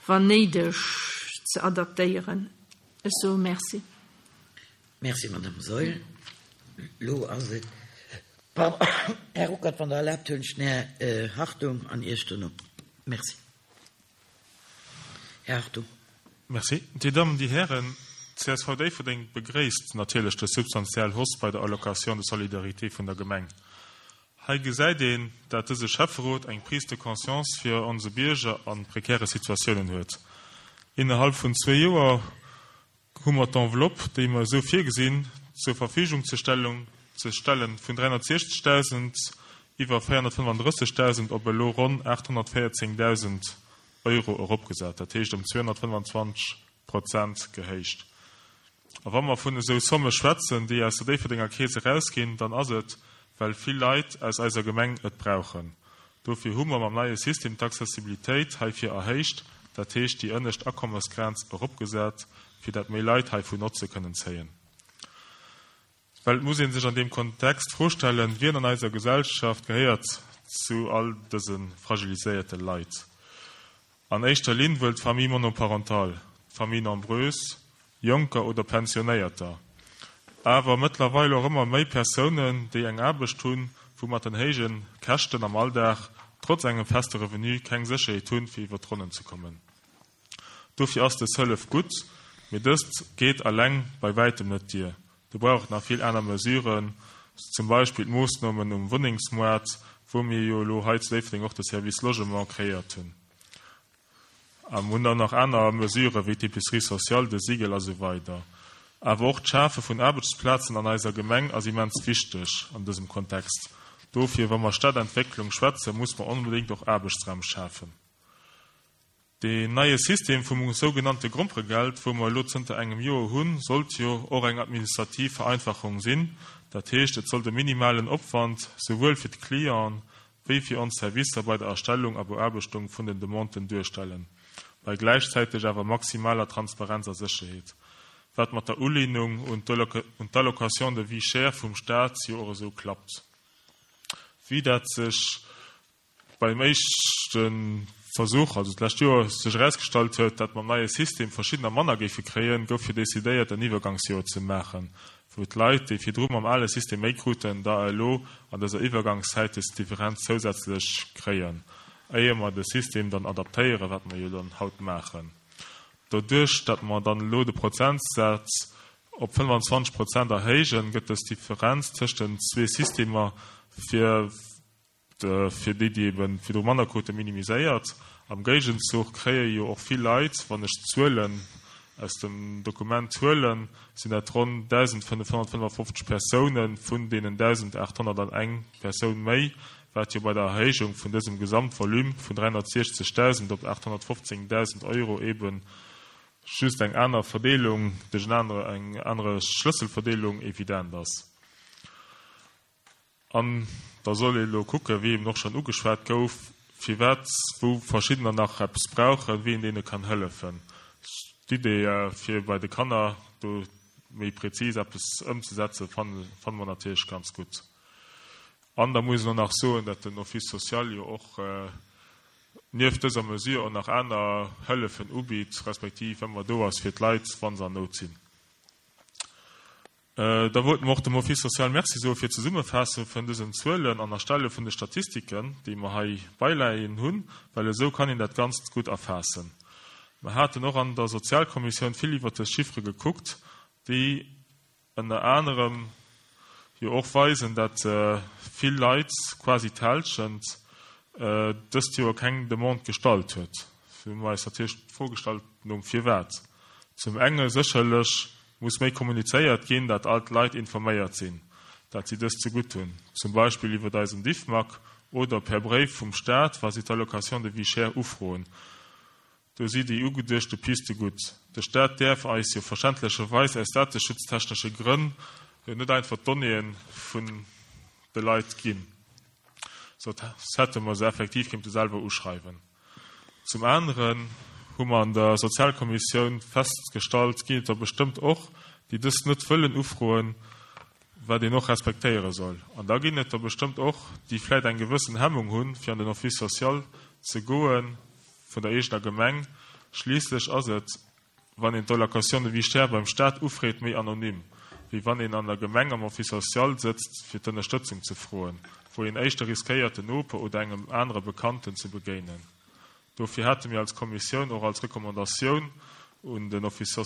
wann néideg ze adaptéieren. Ech soe Merci. Merci, Madame Saeul. Lo ass et, pardon, Här Ruckert, wann Der erlaabt, huelen ech den Här Hartung an Iech dono. Merci. Här Hartung. Merci. Dir Dammen, Dir Hären, C S V Déifferdeng begréisst natierlech dës substantiell Hausse bei der Allocation de solidarité vun der Gemeng. Hei gesäit een, dat dëse Schäfferot eng Prise de conscience fir onse Bierger an prekäre Situatiounen huet. Innerhalb vun zwee Joer hu mer d'Enveloppe, déi mer esou virgesinn, zur Verfügung ze Stellung ze stellen, vun dräihonnertsechzegdausend iwwer véierhonnertfënnefandrëssegdausend op elo ronn aathonnertvéierzéngdausend Euro eropgesat, dat heescht ëm zweehonnertfënnwanzwanzeg Prozent gehéicht. A wa mer vun esou Somme schwätzen, déi aus der Déifferdenger Keess erausginn, dann ass et, well vill Leit aus eiser Gemeng et brauchen. Dofir hu mer mam neie System d'Accessibilitéit heifir erhéicht, dat heescht déi ënnescht Akommesgrenz eropgesat, fir dat méi Leit heivun Notze kënnen zéien. Well et muss ee sech an deem Kontext d'Fro stellen, wien an eiser Gesellschaft gehéiert zu all dëse fragiliséierte Leit? An éischter Linn wuel d'Famille monoparentale, d'Famille nombreuse, Jonker oder Pensionéierter. Awer mëttlerweil och ëmmer méi Persounen, déi eng Aarbecht hunn, wou mat den héije Käschten am Alldag trotz engem feste Revenu keng Sécherheet hunn, fir iwwer d'Ronnen ze kommen. Dofir ass dës Hëllef gutt, mee dëst geet eleng bei wäitem net duer. Do brauch et nach vill aner Mesuren, zum Beispill d'Moossnomen um Wunnengsmoart, wou mir jo elo hei zu Déifferdeng och de Service Logement kreéiert hunn. A mir hunn dann nach aner Mesurë wéi d'Épicerie sociale, de SIGEL a sou weider. Awer och d'Schafe vun Aarbechtsplazen an eiser Gemeng ass immens wichteg an dësem Kontext. Dofir, wa mer Stadentwécklung schwätzen, muss mer onbedéngt och Aarbechtsraim schafen. Deen neie System vum sougenannte Gromperegeld, wou mer elo zënter engem Joer hunn, sollt jo och eng administrativ Vereinfachung sinn. Dat heescht, et sollt e minimalen Opwand souwuel fir d'Clienten wéi fir ons Servicer bei der Erstellung a Beaarbechtung vun den Demanden duerstellen, bei gläichzäiteg awer maximaler Transparenz a Sécherheet, wat mat der Ulehnung un d'Allocation de vie chère vum Staat jo och esou klappt, wéi dat sech beim éischte Versuch, also d'lescht Joer, sech erausgestallt huet, dat mam neie System verschiddener manner géife kréien, gouf jo decidéiert, en Iwwergangsjoer ze maachen, wou d'Leit, déi virdru mam ale System méi kruten, da elo an dëser Iwwergangszäit des Differenz zousätzlech kréien, éier mer de System dann adaptéieren, wat mer jo dann haut maachen. Doduerch, datt mer dann elo de Prozentsaz op fënnwanzwanzeg Prozent erhéijen, gëtt dës Differenz tëscht den zwee Systemer fir fir déi, déi ebe virdru manner kruten, minimiséiert. Am Géigenzuch kréie jo och vill Leit, wann ech d'Zuelen aus dem Dokument huelen, sinn dat ronn dausendfënnefhonnertfënnefofzeg Persounen vun deenen dausendaathonnerteneng Persoun méi, wat jo bei der Erhéijung vun dësem Gesamtvolume vun dräihonnertsiechzegdausend op aathonnertfofzéngdausend Euro ebe just eng aner Verdeelung, duerch en anere, eng anere Schlësselverdeelung evident ass. An da soll ee elo kucken, wéi eben och schonn ugeschwat gouf, firwat wou verschiddener nach eppes brauchen, wéi een deene kann hëllefen. D'Idee fir bei de Kanner do méi präzis eppes ëmzesetzen, fanne fanne mer natierlech ganz gutt. An da muss een och nach soen, datt den Office social jo och nieft dëser Mesure och nach aner Hëllefen ubitt, respektiv ëmmer do ass fir d'Leit, wa se an Nout sinn. Da wollte mer och dem Office social Merci soe fir d'Zesummefaasse vun dësen Zuelen an Erstelle vun de Statistiken, déi mer hei beileien hunn, well esou kann een dat Ganzt gutt erfaassen. Mer haten och an der Sozialkommissioun vill iwwert dës Chiffere gekuckt, déi ënner anerem jo och weisen, dat vill Leit, quasi d'Hälschent, dëst Joer keng Demande gestallt huet. Hu mer eis natierlech d'Fro gestallt nom Firwat. Zum enge sécherlech muss méi kommunizéiert ginn, dat all d'Leit informéiert sinn, dat si dëst zegutt hunn, zum Beispill iwwert eisen Diffmag oder per Bréif vum Staat, wa si d'Allocation de vie chère ufroen. Do si déi ugeduechte Piste gutt. De Staat däerf eis jo verständlecherweis aus dateschutztechnesche Grënn jo net einfach d'Donnéeë vun de Leit ginn. Soss hätte mer se effektiv kéinte selwer uschreiwen. Zum aneren hu mer an der Sozialkommissioun festgestallt, ginn et der bestëmmt och, déi dëst net wëllen ufroen, wat een och respektéiere soll. An da ginn et der bestëmmt och, déi vläit eng gewëssen Hemmung hunn, fir an den Office social ze goe vun der eegener Gemeng. Schliisslech ass et, wann een d'Allocation de vie chère beim Staat ufreet, méi anonym, wéi wann een an der Gemeng am Office social sëtzt, fir d'Ënnerstëtzung ze froen, wou een éischter riskéiert, den Noper oder engem anere Bekannten ze begéinen. Dofir hate mir als Kommissioun och als Recommandatioun un den Office,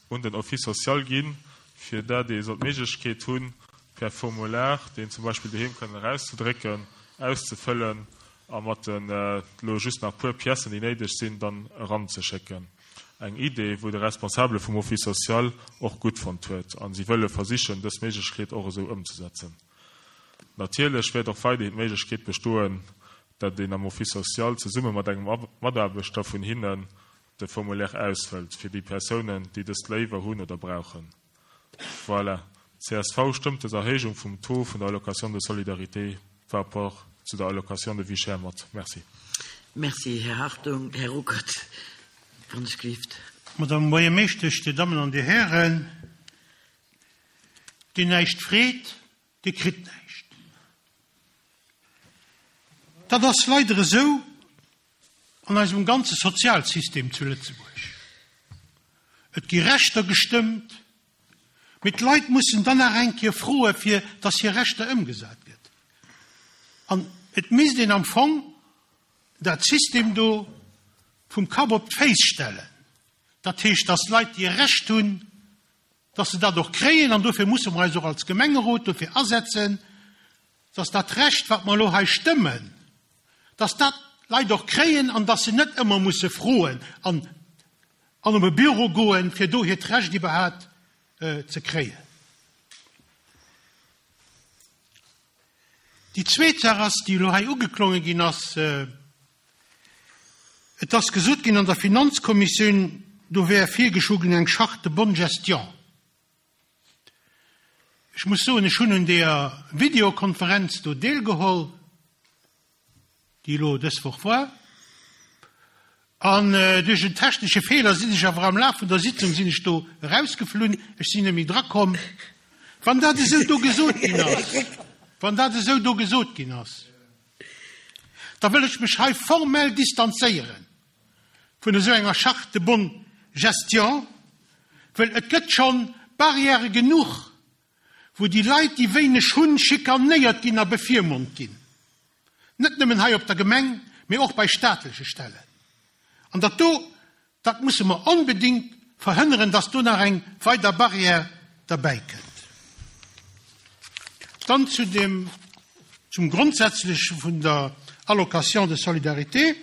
un den Office social ginn, fir dat ee soll d'Méiglechkeet hunn, per Formular, deen zum Beispill doheem kënnen erauszedrécken, auszefëllen a mat den elo just nach puer Piècen, déi néideg sinn, dann eranzeschécken. Eng Idee, wou de Responsabele vum Office social och gutt fonnt huet, a si wëlle versichen, dës Méiglechkeet och esou ëmzesetzen. Natierlech wäert och weiderhin d'Méiglechkeet bestoen, dat een am Office social zesumme mat engem Mataarbechter vun hinnen de Formulaire ausfëllt, fir déi Persounen, déi dëst léiwer hunn oder brauchen. Voilà. Csv stëmmt dës Erhéijung vum Taux vun der Allocation de solidarité par rapport zu der Allocation de vie chère mat. Merci. Merci, Här Hartung. Här Ruckert, wann ech gelift. Madame Buergermeeschtesch, Dir Dammen an Dir Hären, deen näischt freet, dee kritt näischt. Dat ass leider esou an eisem ganze Sozialsystem zu Lëtzebuerg. Et gi Rechter gestëmmt, mee d'Leit mussen dann nach eng Kéier froe fir dass hir Rechter ëmgesat gëtt. An et misst een am Fong dat System do vum Kapp op d'Féiss stellen. Dat heescht, dass d'Leit, déi e Recht hunn, dass se dat och kréien, an dofir musse mer eis och als Gemengerot dofir asetzen, dass dat Recht, wat mer elo hei stëmmen, dass dat d'Leit och kréien an dass se net ëmmer musse froen an an op e Büro goen, fir do hiert Recht iwwerhaapt ze kréien. Déi zweet Saach ass, déi elo hei ugeklonge ginn ass, Et ass gesot ginn an der Finanzkommissioun, do wär virgeschloe ginn eng Charte de bonne gestion. Ech muss soen, ech hunn un deeër Videokonferenz do deelgeholl, déi elo dës Woch war, an duerch en technesche Feeler sinn ech awer am Laf vun der Sitzung sinn ech do erausgeflunn, ech sinn net méi drakomm. Wann dat esou do gesot ginn ass, wann dat esou do gesot ginn ass, da wëll ech mech hei formell distanzéiere vun esou enger Charte de bonne gestion, well et gëtt schonn Barrièrë genuch, wou déi Leit, déi wéineg hunn, schikanéiert ginn a bevirmond ginn, net nëmmen hei op der Gemeng, mee och bei staatleche Stellen. An dat do, dat musse mer onbedéngt verhënneren, dass do nach eng weider Barrière derbäikënnt. Dann zu dem, zum Grondsätzleche vun der Allocation de solidarité.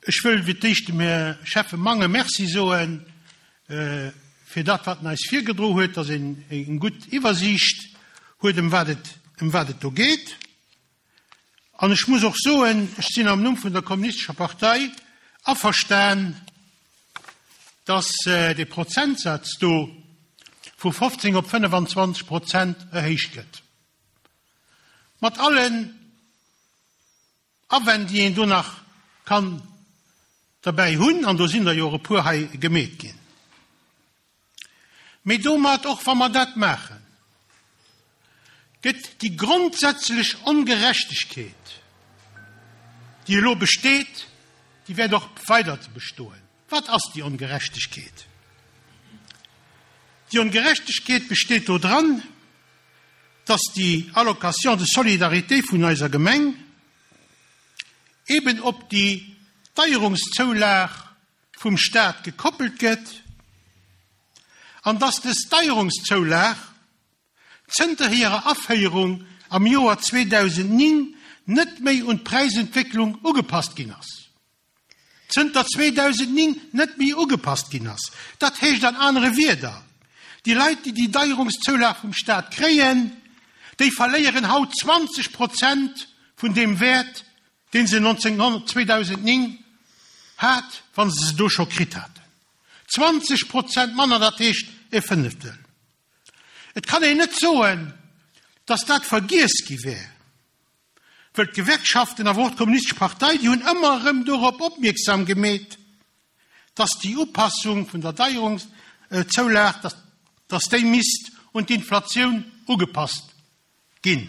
Ech wëll fir d'éischt dem Här Schäffe Mangen Merci soen fir dat, wat en eis virgedro huet, dass een eng gutt Iwwersiicht huet, ëm wat et, ëm wat et do geet. An ech muss och soen, ech sinn am Numm vun der Kommunistescher Partei averstan, dass dee Prozentsaz do vu fofzéng op fënnefenzwanzeg Prozent erhéicht gëtt, mat allen Awänn, déi een do nach kann derbäi hunn, an do sinn der jo och e puer hei gemeet ginn. Mee domat, och wa mer dat maachen, gëtt déi grondsätzlech Ongerechtegkeet, déi elo besteet, déi wäert och weider bestoen. Wat ass déi Ongerechtegkeet? Déi Ongerechtegkeet besteet do dran, dass déi Allocation de solidarité vun eiser Gemeng eben op déi Deierungszoulag vum Staat gekoppelt gëtt an dass des Deierungszoulag zënter hirer Aféierung am Joer zweedausendnéng net méi un d'Präisentwécklung ugepasst ginn ass. Zënter zweedausendnéng net méi ugepasst ginn ass. Dat heescht an anere Wierder, déi Leit, déi déi Deierungszoulag vum Staat kréien, déi verléieren haut zwanzeg Prozent vun deem Wäert, dee se zweedausendnéng hat, wa se se do scho kritt haten. Zwanzeg Prozent manner, dat heescht e Fënneftel. Et kann een net soen, datt dat vergiess gi wär, wëll d'Gewerkschaften, awer och d'Kommunistesch Partei, déi hunn ëmmer erëm dorop opmierksam gemeet, datt déi Upassung vun der Deierungszoulag, datt déi misst un d'Inflatioun ugepasst ginn.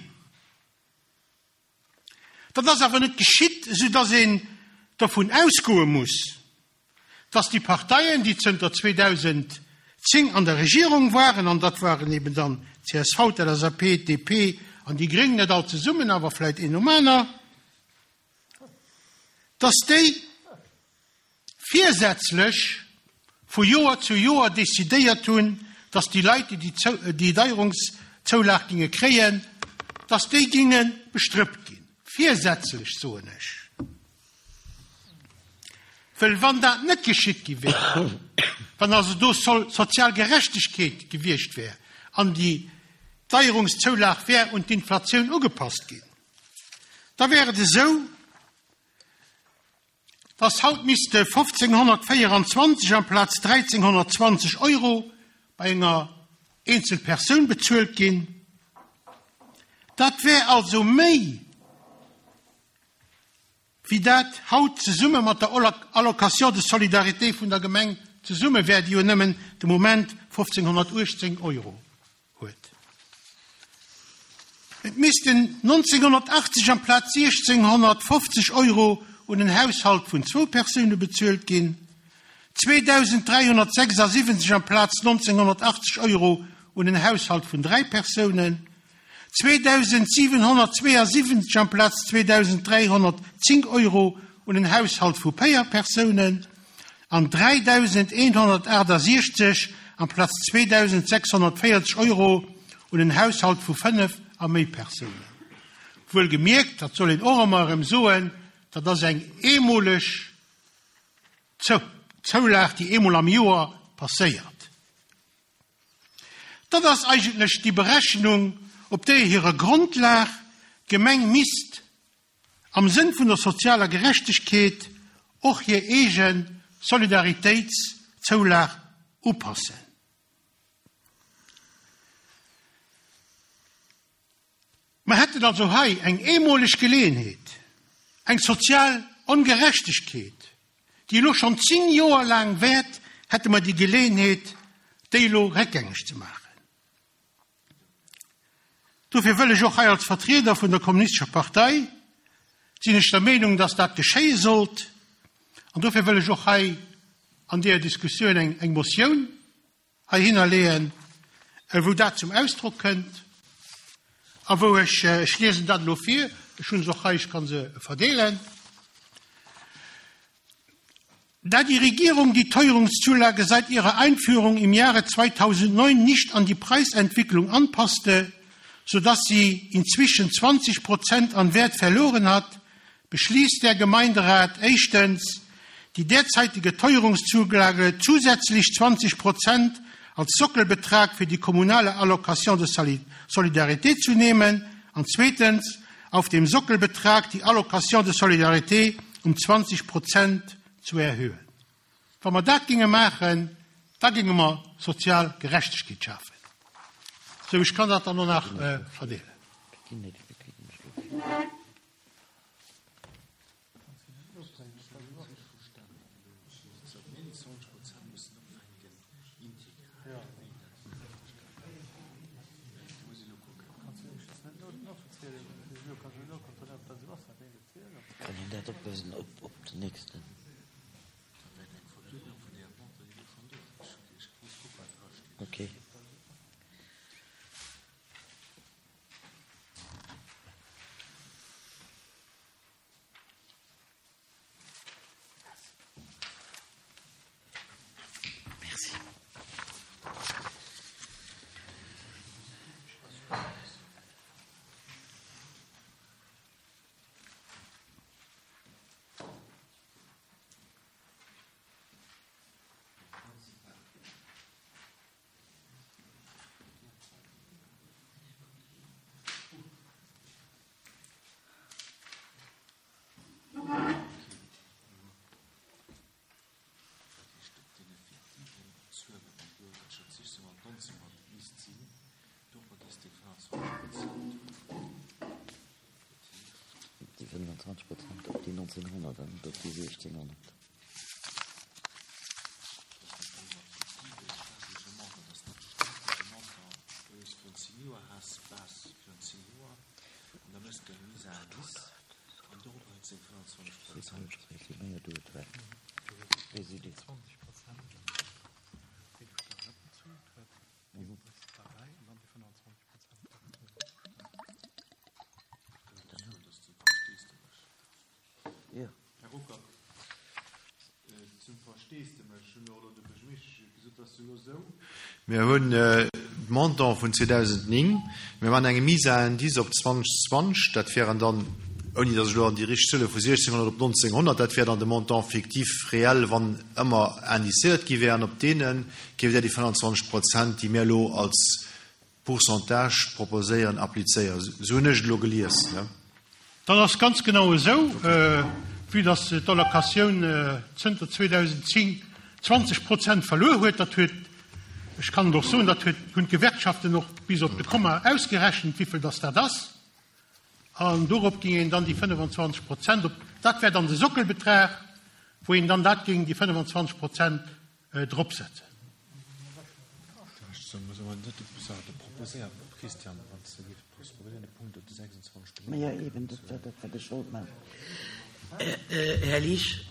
Dat ass awer net geschitt, esoudatt een dovun ausgoe muss, datt déi Parteien, déi zënter zweedausendzéng an der Regierung waren, an dat waren eben dann d'CSV, d'LSAP, d'DP an déi Gréng, net all zesummen, awer vläicht een nom aner, datt déi virsätzlech vu Joer zu Joer decidéiert hunn, datt déi Leit, déi déi Deierungszoulag ginge kréien, datt déi ginge bestrëppt ginn. Virsätzlech, soen ech. Well wann dat net geschitt gi wär, wann also do sozial Gerechtegkeet gewiescht wär an déi Deierungszoulag wär un d'Inflatioun ugepasst ginn, da wär et esou, dass haut misste fofzénghonnertvéieranzwanzeg amplaz dräizénghonnertzwanzeg Euro bei enger eenzel Persoun bezuelt ginn. Dat wär also méi wéi dat haut zesumme mat der Allocation de solidarité vun der Gemeng zesumme wär, déi jo nëmmen de Moment fofzénghonnertuechtzéng Euro huet. Et missten nonzénghonnertachtzeg amplaz siechzénghonnertfofzeg Euro un en Haushalt vun zwou Persoune bezuelt ginn, zweedausenddräihonnertsechsasiwwenzeg amplaz nonzénghonnertachtzeg Euro un en Haushalt vun dräi Persounen, zweedausensiwenhonnertzweeasiwwenzeg amplaz zweedausenddräihonnertzéng Euro un en Haushalt vu véier Persounen an dräidausendeenhonnertaachtasechzeg amplaz zweedausendsechshonnertvéierzeg Euro un en Haushalt vu fënnef a méi Persounen. Wuelgemierkt, dat soll een och ëmmer erëm soen, dat ass eng eemoleg Zoulag, déi eemol am Joer passéiert. Dat ass eigentlech déi Berechnung, op där hirer Grondlag d'Gemeng misst am Sënn vun der sozialer Gerechtegkeet och hir eege Solidaritéitszoulag upassen. Mer hätten also hei eng eemoleg Geleeënheet, eng sozial Ongerechtegkeet, déi elo schonn zéng Joer laang wäert, hätte mer déi Geleeënheet, déi elo réckgängeg ze maachen. Dofir wëll ech och hei als Vertrieder vun der Kommunistescher Partei, sinn ech der Meenung, dass dat geschéie sollt, an dofir wëll ech och hei an deeër Diskussioun eng, eng Motioun heihinner leeën, wou dat zum Ausdrock kënnt a wou ech, ech liesen dat elo vir, ech hunn se och hei, ech ka se verdeelen. Da die Regierung die Teuerungszulage seit ihrer Einführung im Jahre zweitausendneun nicht an die Preisentwicklung anpasste, sodass sie inzwischen zwanzig Prozent an Wert verloren hat, beschließt der Gemeinderat éischtens, die derzeitige Teuerungszulage zusätzlich zwanzig Prozent als Sockelbetrag für die kommunale Allocation de Solidarité zu nehmen an zweetens, auf dem Sockelbetrag die Allocation de Solidarité um zwanzig Prozent zu erhöhen. Wa mer dat ginge maachen, da ginge mer sozial Gerechtegkeet schafen. Sou, ech kann dat dann och nach verdeelen. dat opwësen op, op den nächsten. Okay. Merci. Déi fënnwanzwanzeg Prozent op déi nonzénhonnert an net op déi siechzénhonnert. Här Ruckert, zum Versteesdemech hu mir och elo de Buergermeeschtesch gesot, dass elo esou, mir hunn de Montant vun zweedausendnéng, mir maachen eng Mise à indice op zweitausendzwanzeg, dat wären dann, ouni datt ech elo an déi richteg Zuele vu siechzehnhonnert op neunzehnhundert, dat wär dann de Montant fictif réel, wann ëmmer indicéiert gi wär, an op deene géif Der déi fënnwandzwanzeg Prozent, déi mir elo als Pourcentage proposéieren, applizéieren. Esou hunn ech et elo gelies, ne? Dat ass ganz genau esou, vue dass d'Allocatioun zënter zweetausendzéng zwanzeg Prozent verluer huet. Dat huet, ech kann et och soen, dat huet, hunn d'Gewerkschaften och bis op de Komma ausgerechent, wéivill dass dat ass. An dorop géing een dann déi fënnwandzwanzeg Prozent op, dat wär dann de Sockelbetrag, wou een dann dat géing, déi fënnwandzwanzeg Prozent, dropsetzen. Ma jo, eben, dat war dat, wat ech wollt maachen. Här Liesch.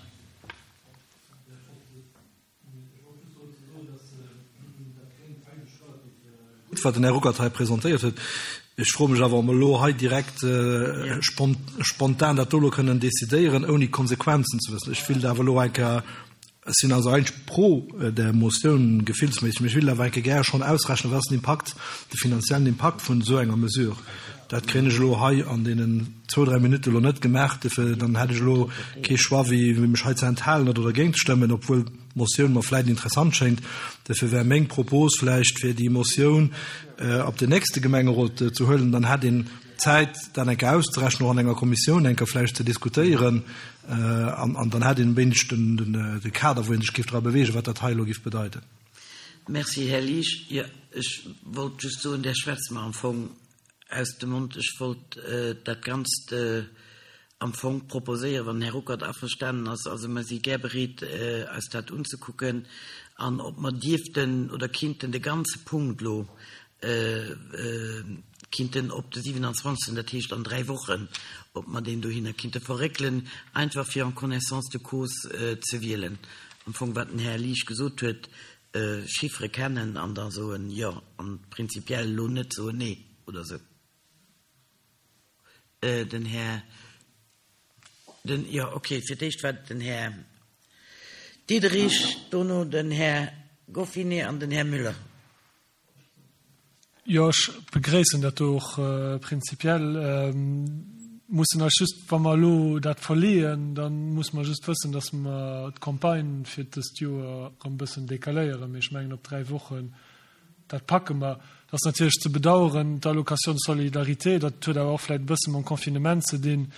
Gutt, wat den Här Ruckert hei presentéiert huet. Ech froe mech awer, ob mer elo hei direkt spontan dat do elo kënnen decidéieren, ouni d'Konsequenzen ze wëssen. Ech wéilt awer elo eng Kéier, ech sinn also eigentlech pro där Motioun gefillsméisseg, mee ech wéilt awer eng Kéier gär schonn ausrechnen, wat ass den Impakt, de finanziellen Impakt vun esou enger Mesure. Dat kréien ech elo hei an deenen zwou, dräi Minutte elo net gemaach. Duerfir, dann hätt ech elo kee Choix, wéi mech hei ze enthalen oder dergéint ze stëmmen, obwuel d'Motioun mer vläicht interessant schéngt. Duerfir wär meng Propos vläicht, fir déi Motioun op den nächste Gemengerot ze huelen. Dann hätt een Zäit, dat eng Kéier auszerechnen, och an enger Kommissioun eng Kéier vläicht ze diskutéieren. An dann hätt een wéinegstens de Kader, wou ee sech géif dra bewegen, wat dat hei elo géif bedeiten. Merci, Här Liesch. Jo, ech wollt just soen, Der schwätzt mer am Fong aus dem Mond. Ech wollt dat Ganzt am Fong proposéieren, wann den Här Ruckert averstanen ass. Also mer si gär bereet, eis dat unzekucken an ob mer dierften oder kinnten de ganze Punkt elo kinnten op de siewenundzwanzigsten, dat heescht an dräi Wochen, ob mer deen dohinner kinnte verréckelen, einfach fir en connaissance de cause ze wielen. Am Fong wat den Här Liesch gesot huet, Chiffere kennen an da soen, jo, an prinzipiell elo net soen, nee oder esou. Den Här, den, jo, okay, fir d'éischt war et den Här Diderich, dono den Här Goffinet an den Här Müller. Jo, ech begréissen dat do och prinzipiell. Mussen eis just, wa mer elo dat verleeën, da musse mer just wëssen, dass mer d'Campagne fir dëst Joer erëm e bëssen decaléieren. Mee ech mengen, op dräi Wochen, dat packe mer. Dat ass natierlech ze bedauern, d'Allocation de solidarité, dat huet awer och vläicht e bësse mam Confinement ze dinn,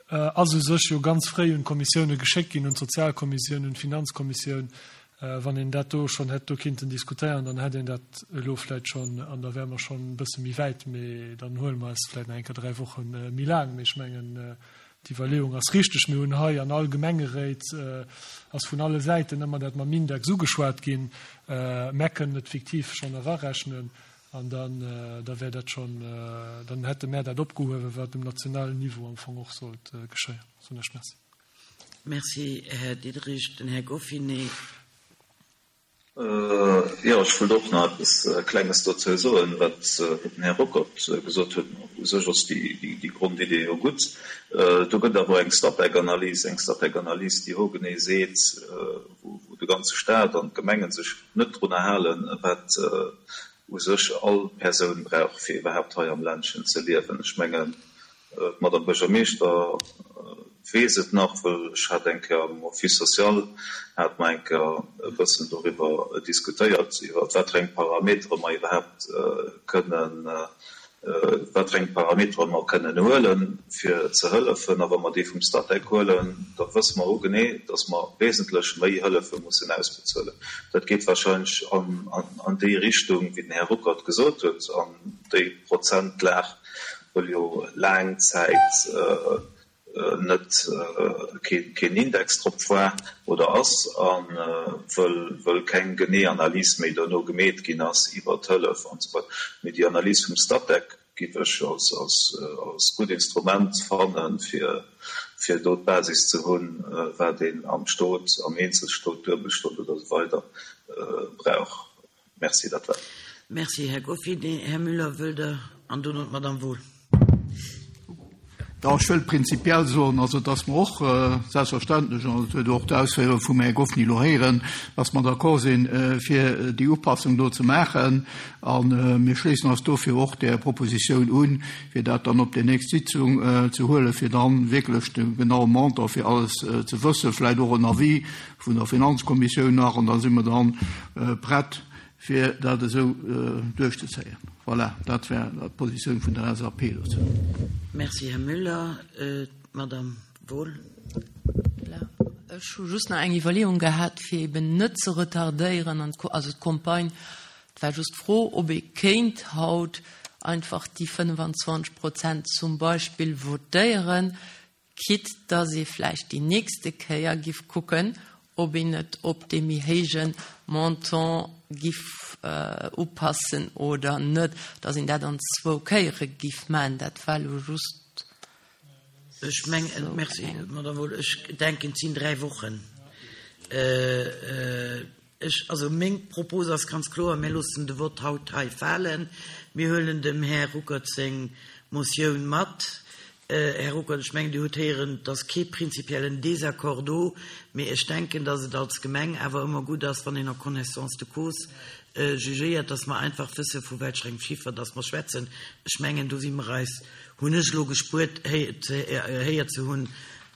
ass u sech jo ganz fréi un d'Kommissioune geschéckt ginn, un d'Sozialkommissioun, un d'Finanzkommissioun. Wann een dat do schonn hätt do kinnten diskutéieren, dann hätt een dat elo vläicht schonn an da wäre mer schonn e bësse méi wäit. Mee dann huele mer eis vläicht nach eng Kéier dräi Woche méi laang. Mee ech mengen, d'Iwwerleeung ass richteg. Mir hunn hei an all Gemengeréit ass vun alle Säiten ëmmer dat mam Index ugeschwat ginn. Mer kënnen et fiktiv schonn erarechnen. An dann, da wär dat schonn, dann hätte mär dat opgehuewen, wat um nationalen Niveau am Fong och sollt geschéien. Soen ech Merci. Merci, Här Diderich. Den Här Goffinet. Jo, ech wollt och nach eppes Klenges dozou soen, wat den Här Ruckert gesot huet. U sech ass déi Grondidee jo gutt. Do gëtt awer eng Statec-Analys, eng Statec-Analys, déi hogenee seet, wou de ganze Stat an d'Gemengen sech net drunner halen, wat u sech all Persoun brauch, fir iwwerhaapt hei am Ländchen ze liewen. Ech mengen, d'Madame Buergermeeschter weess et nach, wëll ech hat eng Kéier am Office social, hate mer eng Kéier e bëssen doriwwer diskutéiert, iwwer wat fir eng Parametere mer iwwerhaapt kënnen, wat fir eng Parametere mer kënnen huelen, fir ze hëllefen. A wa mer déi vum Statec huelen, da wësse mer hogenee, dass mer wesentlech méi Hëllefe mussen ausbezuelen. Dat geet wahrscheinlech an déi Richtung, wéi den Här Ruckert gesot huet, an déi Prozentlag, wëll jo laang Zäit net keen Index drop war oder ass a wëll keng genee Analys méi dono gemeet ginn ass iwwert d'Hëllef an esou weider. Mee déi Analys vum Statec giff ech als gutt Instrument fannen, fir do d'Basis ze hunn, wat een am Stot, am Eenzelstot, Duebelstot oder esou weider brauch. Merci, dat war et. Merci, Här Goffinet. Här Müller, wëllt Der? An dono d'Madame Wohl. Jo, ech wëll prinzipiell soen, also dass mer och selbstverständlech, an dat huet och d'Ausféierung vum Här Goffinet elo héieren, dass mer d'accord sinn, fir déi Upassung do ze maachen. A mir schléissen eis dofir och där Propositioun un, fir dat dann op déi nächst Sitzung ze huelen, fir dann wierklech de genaue Montant fir alles ze wëssen, vläicht och en Avis vun der Finanzkommissioun nach, an da si mer dann prett, fir dat esou duerchzezéien. Voilà, dat wär d'Positioun vun der L S A P dozou. Merci, Här Müller. D'Madame Wohl. Voilà. Ech hu just nach eng Iwwerleeung gehat, fir eben net ze retardéieren an d'Ko-, also d'Campagne. Et war just d'Fro, ob ee kéint haut einfach déi fënnwanzwanzeg Prozent zum Beispill votéieren, quitte dass ee vläicht déi nächste Kéier giff kucken, ob een et op dee méi héije Montant giff upassen oder net, dass een dat an zwou Kéiere giff maachen. Dat war elo just Ech mengen, merci, Madame Wohl, ech denken, et sinn dräi Wochen. Ech, also meng Propos ass ganz kloer, mir loossen de Vott haut hei falen. Mir huelen dem Här Ruckert seng Motioun mat. Här Ruckert, ech mengen, Dir hutt héieren, et ass kee prinzipiellen Désaccord do, mee ech denken, dass et als Gemeng awer ëmmer gutt ass, wann een en connaissance de cause jugéiert, dass mer einfach wësse vu welcher engem Chiffer dass mer schwätzen. Ech mengen, do si mer eis, hunn ech elo gespuert, héiert ze hunn,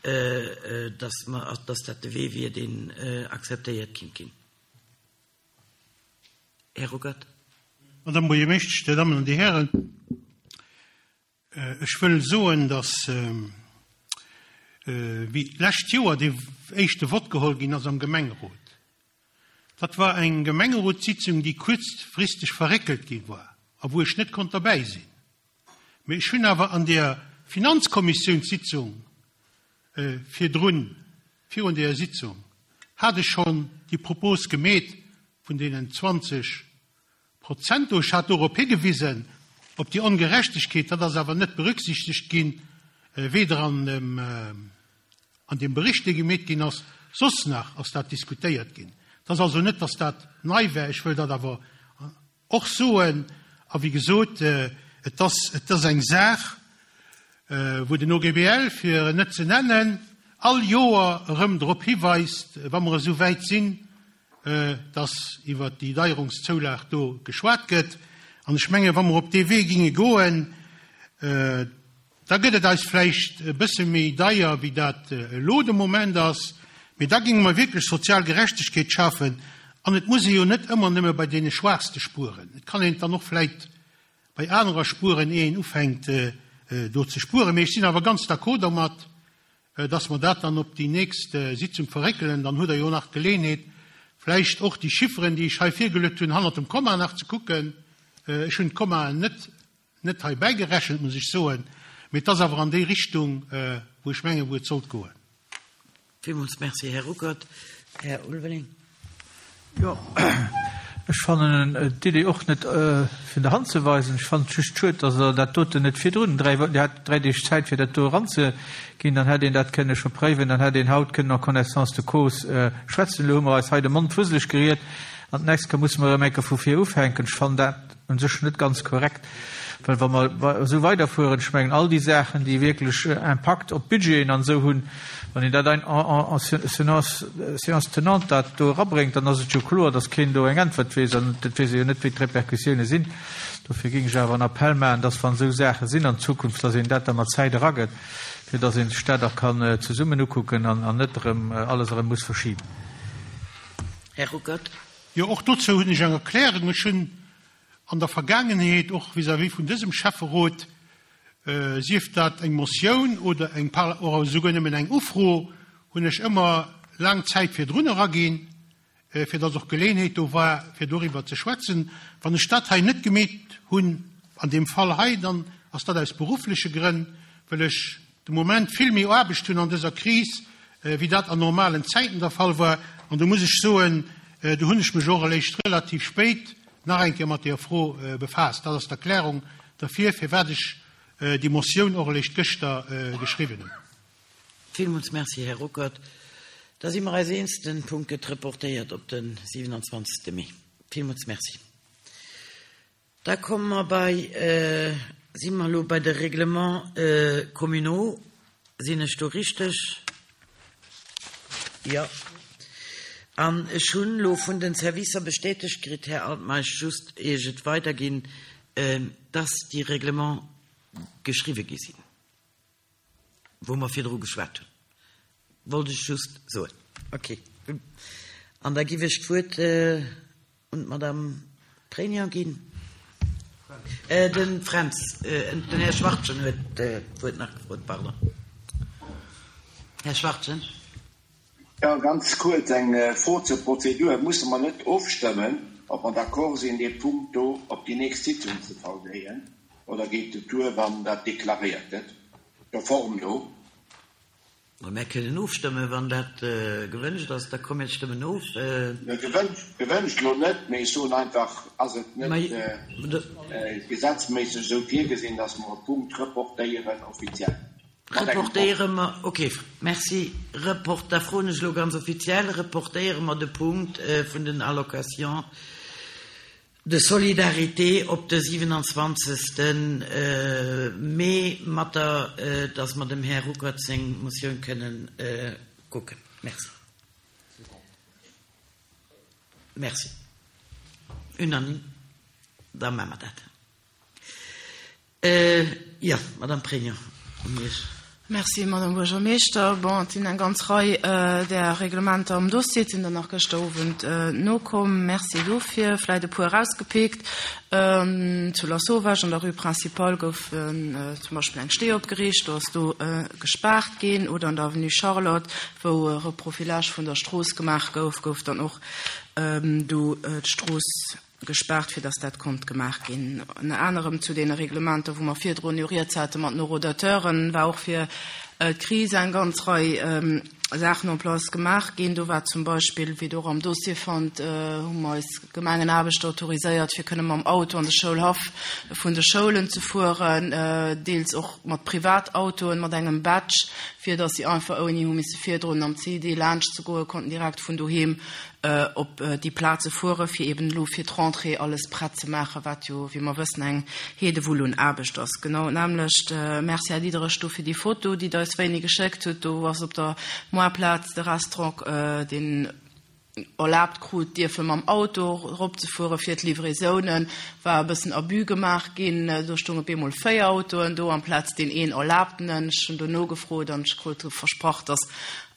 dass mer, dass dat de Wee wier, deen akzeptéiert kinnt ginn. Här Ruckert. Madame Buergermeeschtesch, Dir Dammen an Dir Hären, ech wëll soen, dass wéi d'lescht Joer dee éischte Vott geholl ginn ass am Gemengerot, dat war eng Gemengerotssitzung, déi kuerzfristeg verréckelt gi war a wou ech net konnt derbäi sinn. Mee ech hunn awer an der Finanzkommissiounssitzung virdrun, virun der Sitzung, hat ech schonn déi Propos gemeet vun deenen zwanzeg Prozent. Ech hat dorop higewisen, op déi Ongerechtegkeet, dat ass awer net berücksichtegt ginn, weder an dem, an dem Bericht, dee gemeet ginn ass, soss nach ass dat diskutéiert ginn. Dat ass also net, dass dat nei wär, ech wëll dat awer och soen, a wéi gesot, et ass, et ass eng Saach, wou den O G B L, fir net ze nennen, all Joer erëm drop hiweist, wa mer esou wäit sinn, dass iwwer déi Deierungszoulag do geschwat gëtt. An ech menge, wa mer op dee Wee ginge goen, da gëtt et eis vläicht e bësse méi deier, wéi dat elo de Moment ass, mee da ginge mer wierklech sozial Gerechtegkeet schafen. An et muss ee jo net ëmmer nëmme bei deene Schwaachste spueren. Et kann een dann och vläicht bei anerer Spueren, ehe een ufänkt, do ze spueren. Mee ech sinn awer ganz d'accord domat, dass mer dat dann op déi nächst Sitzung verréckelen. Dann huet Der jo nach d'Geleeënheet, vläicht och déi Chifferen, déi ech hei virgeluet hunn, hannert dem Komma nach ze kucken. Ech hunn d'Komma net, net hei bäigerechent, muss ech soen, mee et ass awer an déi Richtung, wou ech menge, wou et sollt goen. Villmools merci, Här Ruckert. Här Ulveling. Jo, Ech fannen d'Idee och net vun der Hand ze weisen. Ech fannen et just schued, datt Der dat doten net virdrun, dräi Wochen, Dir hat dräi Deeg Zäit fir dat do eranzeginn, dann hätt een dat kënne scho préiwen, dann hätt een haut kënnen en connaissance de cause schwätzen. Elo hu mer eis hei de Mond fusseleg geriet an d'nächst Kéier musse mer erëm eng Kéier vu vir ufänken. Ech fannen dat u sech net ganz korrekt, well wa mer esou weiderfueren, ech mengen all déi Saachen, déi wierklech Impakt op d'Budgeten an esou hunn, wann een dat en séance, séance tenante dat do erabréngt, dann ass et jo kloer, datt keen do eng Äntwert weess an et weess ee jo net, wéi d'Repercussioune sinn. Dofir géing ech awer en Appell maachen, datt wann esou Saache sinn an Zukunft, datt een dat da mat Zäit eragëtt, fir datt ee sech dat och kann zesummen ukucken an net erëm alles erëm muss verschiben. Här Ruckert. Jo, och dozou hunn ech eng Erklärung. Ech hunn an der Vergaangenheet och vis-à-vis vun dësem Schäfferot, sief dat eng Motioun oder eng oder esouguer nëmmen eng Ufro, hunn ech ëmmer laang Zäit virdrun eraginn, fir datt och Geleeënheet do war, fir doriwwer ze schwätzen. Wann ech dat hei net gemeet hunn, an deem Fall hei, dann ass dat aus beruffleche Grënn, well ech de Moment vill méi Aarbecht hunn an dëser Kris, wéi dat an normalen Zäiten der Fall war. An do muss ech soen, do hunn ech mech och eréischt relativ spéit nach eng Kéier mat deeër Fro befaasst. Dat ass d'Erklärung derfir, firwat ech déi Motioun och eréischt gëschter geschriwwen hunn. Villmools Merci, Här Ruckert. Da si mer eis eens, de Punkt gëtt reportéiert op de siwenanzwanzegste Mee. Villmools Merci. Da komme mer bei, si mer elo bei de Règlements communaux. Sinn ech do richteg? Jo. An ech hunn elo vun den Servicer bestätegt kritt, Här Altmeisch, just ier ech et weiderginn, dass déi Règlements geschriwwe gi sinn, wou mer virdru geschwat hunn. Wollt ech just soen. Okay. An da giff ech d'Wuert un d'Madame Préignan ginn. De Fränz, den Här Schwachtgen huet d'Wuert nach gefrot, pardon. Här Schwachtgen. Jo, ganz kuerz eng Fro zur Prozedur. Musse mer net ofstëmmen, ob mer d'accord sinn, dee Punkt do op déi nächst Sitzung ze verléien, oder geet et duer, wann dat deklaréiert gëtt, der Form no? Ma mär kënnen ofstëmmen, wann dat gewënscht ass. Da komm, mir stëmmen of. Gewënscht, gewënscht elo net, mee ech soen einfach, ass et net gesetzméisseg esou virgesinn, dass mer e Punkt reportéieren offiziell? Reportéiere mer, ok, merci. Report, da froen ech elo ganz offiziell, reportéiere mer de Punkt vun den Allocations de solidarité op de siwenanzwanzegste Mee, mat der, dass mer dem Här Ruckert seng Motioun kënnen kucken. Merci. Merci. Unanime. Da maache mer dat. Jo, Madame Pregno, un Iech. Merci, Madame Buergermeeschter. Bon, et sinn eng ganz Rei där Reglementer am Dossier, et sinn der nach gëschter Owend nokomm. Merci dofir. Vläicht e puer erausgepickt. Zu Lasauvage an der Rue Principale gouf zum Beispill eng Stee opgeriicht, do ass do gespaart ginn. Oder an der Avenue Charlotte, wou e Reprofilage vun der Strooss gemaach gouf, gouf dann och do d'Strooss gespaart, fir dass dat konnt gemaach ginn. Ënner anerem zu deene Reglementer, wou mer virdrun jo rieds hate mat den Horodateuren, war och fir d'Kris eng ganz Rei Saachen en place gemaach ginn. Do war zum Beispill, wéi Der och am Dossier fannt, hu mer eis Gemengenaarbechter autoriséiert, fir kënne mam Auto an de Schoulhaff vun de Schoulen ze fueren, deels och mat Privatautoen, mat engem Badge, fir dass si einfach ouni hu misse virdrun am C I D laanscht ze goen, konnten direkt vun doheem op déi Plaze fueren, fir eben elo fir d'Rentrée alles prett ze maachen, wat jo, wéi mer wëssen, eng Heedewull un Aarbecht ass. Genau d'nämmlecht. Merci, Här Diderich, do fir déi Foto, déi Der eis wéini geschéckt hutt. Do ass op der Moarplaz de Restaurant, deen erlaabt krut, dierfe mam Auto eropzefuere fir d'Livraisonen, war e bëssen Abus gemaach ginn. Do stoung op eemol véier Autoen do amplaz deen een erlaabtenen. Ech hunn do nogefrot an ech krut versprach, dass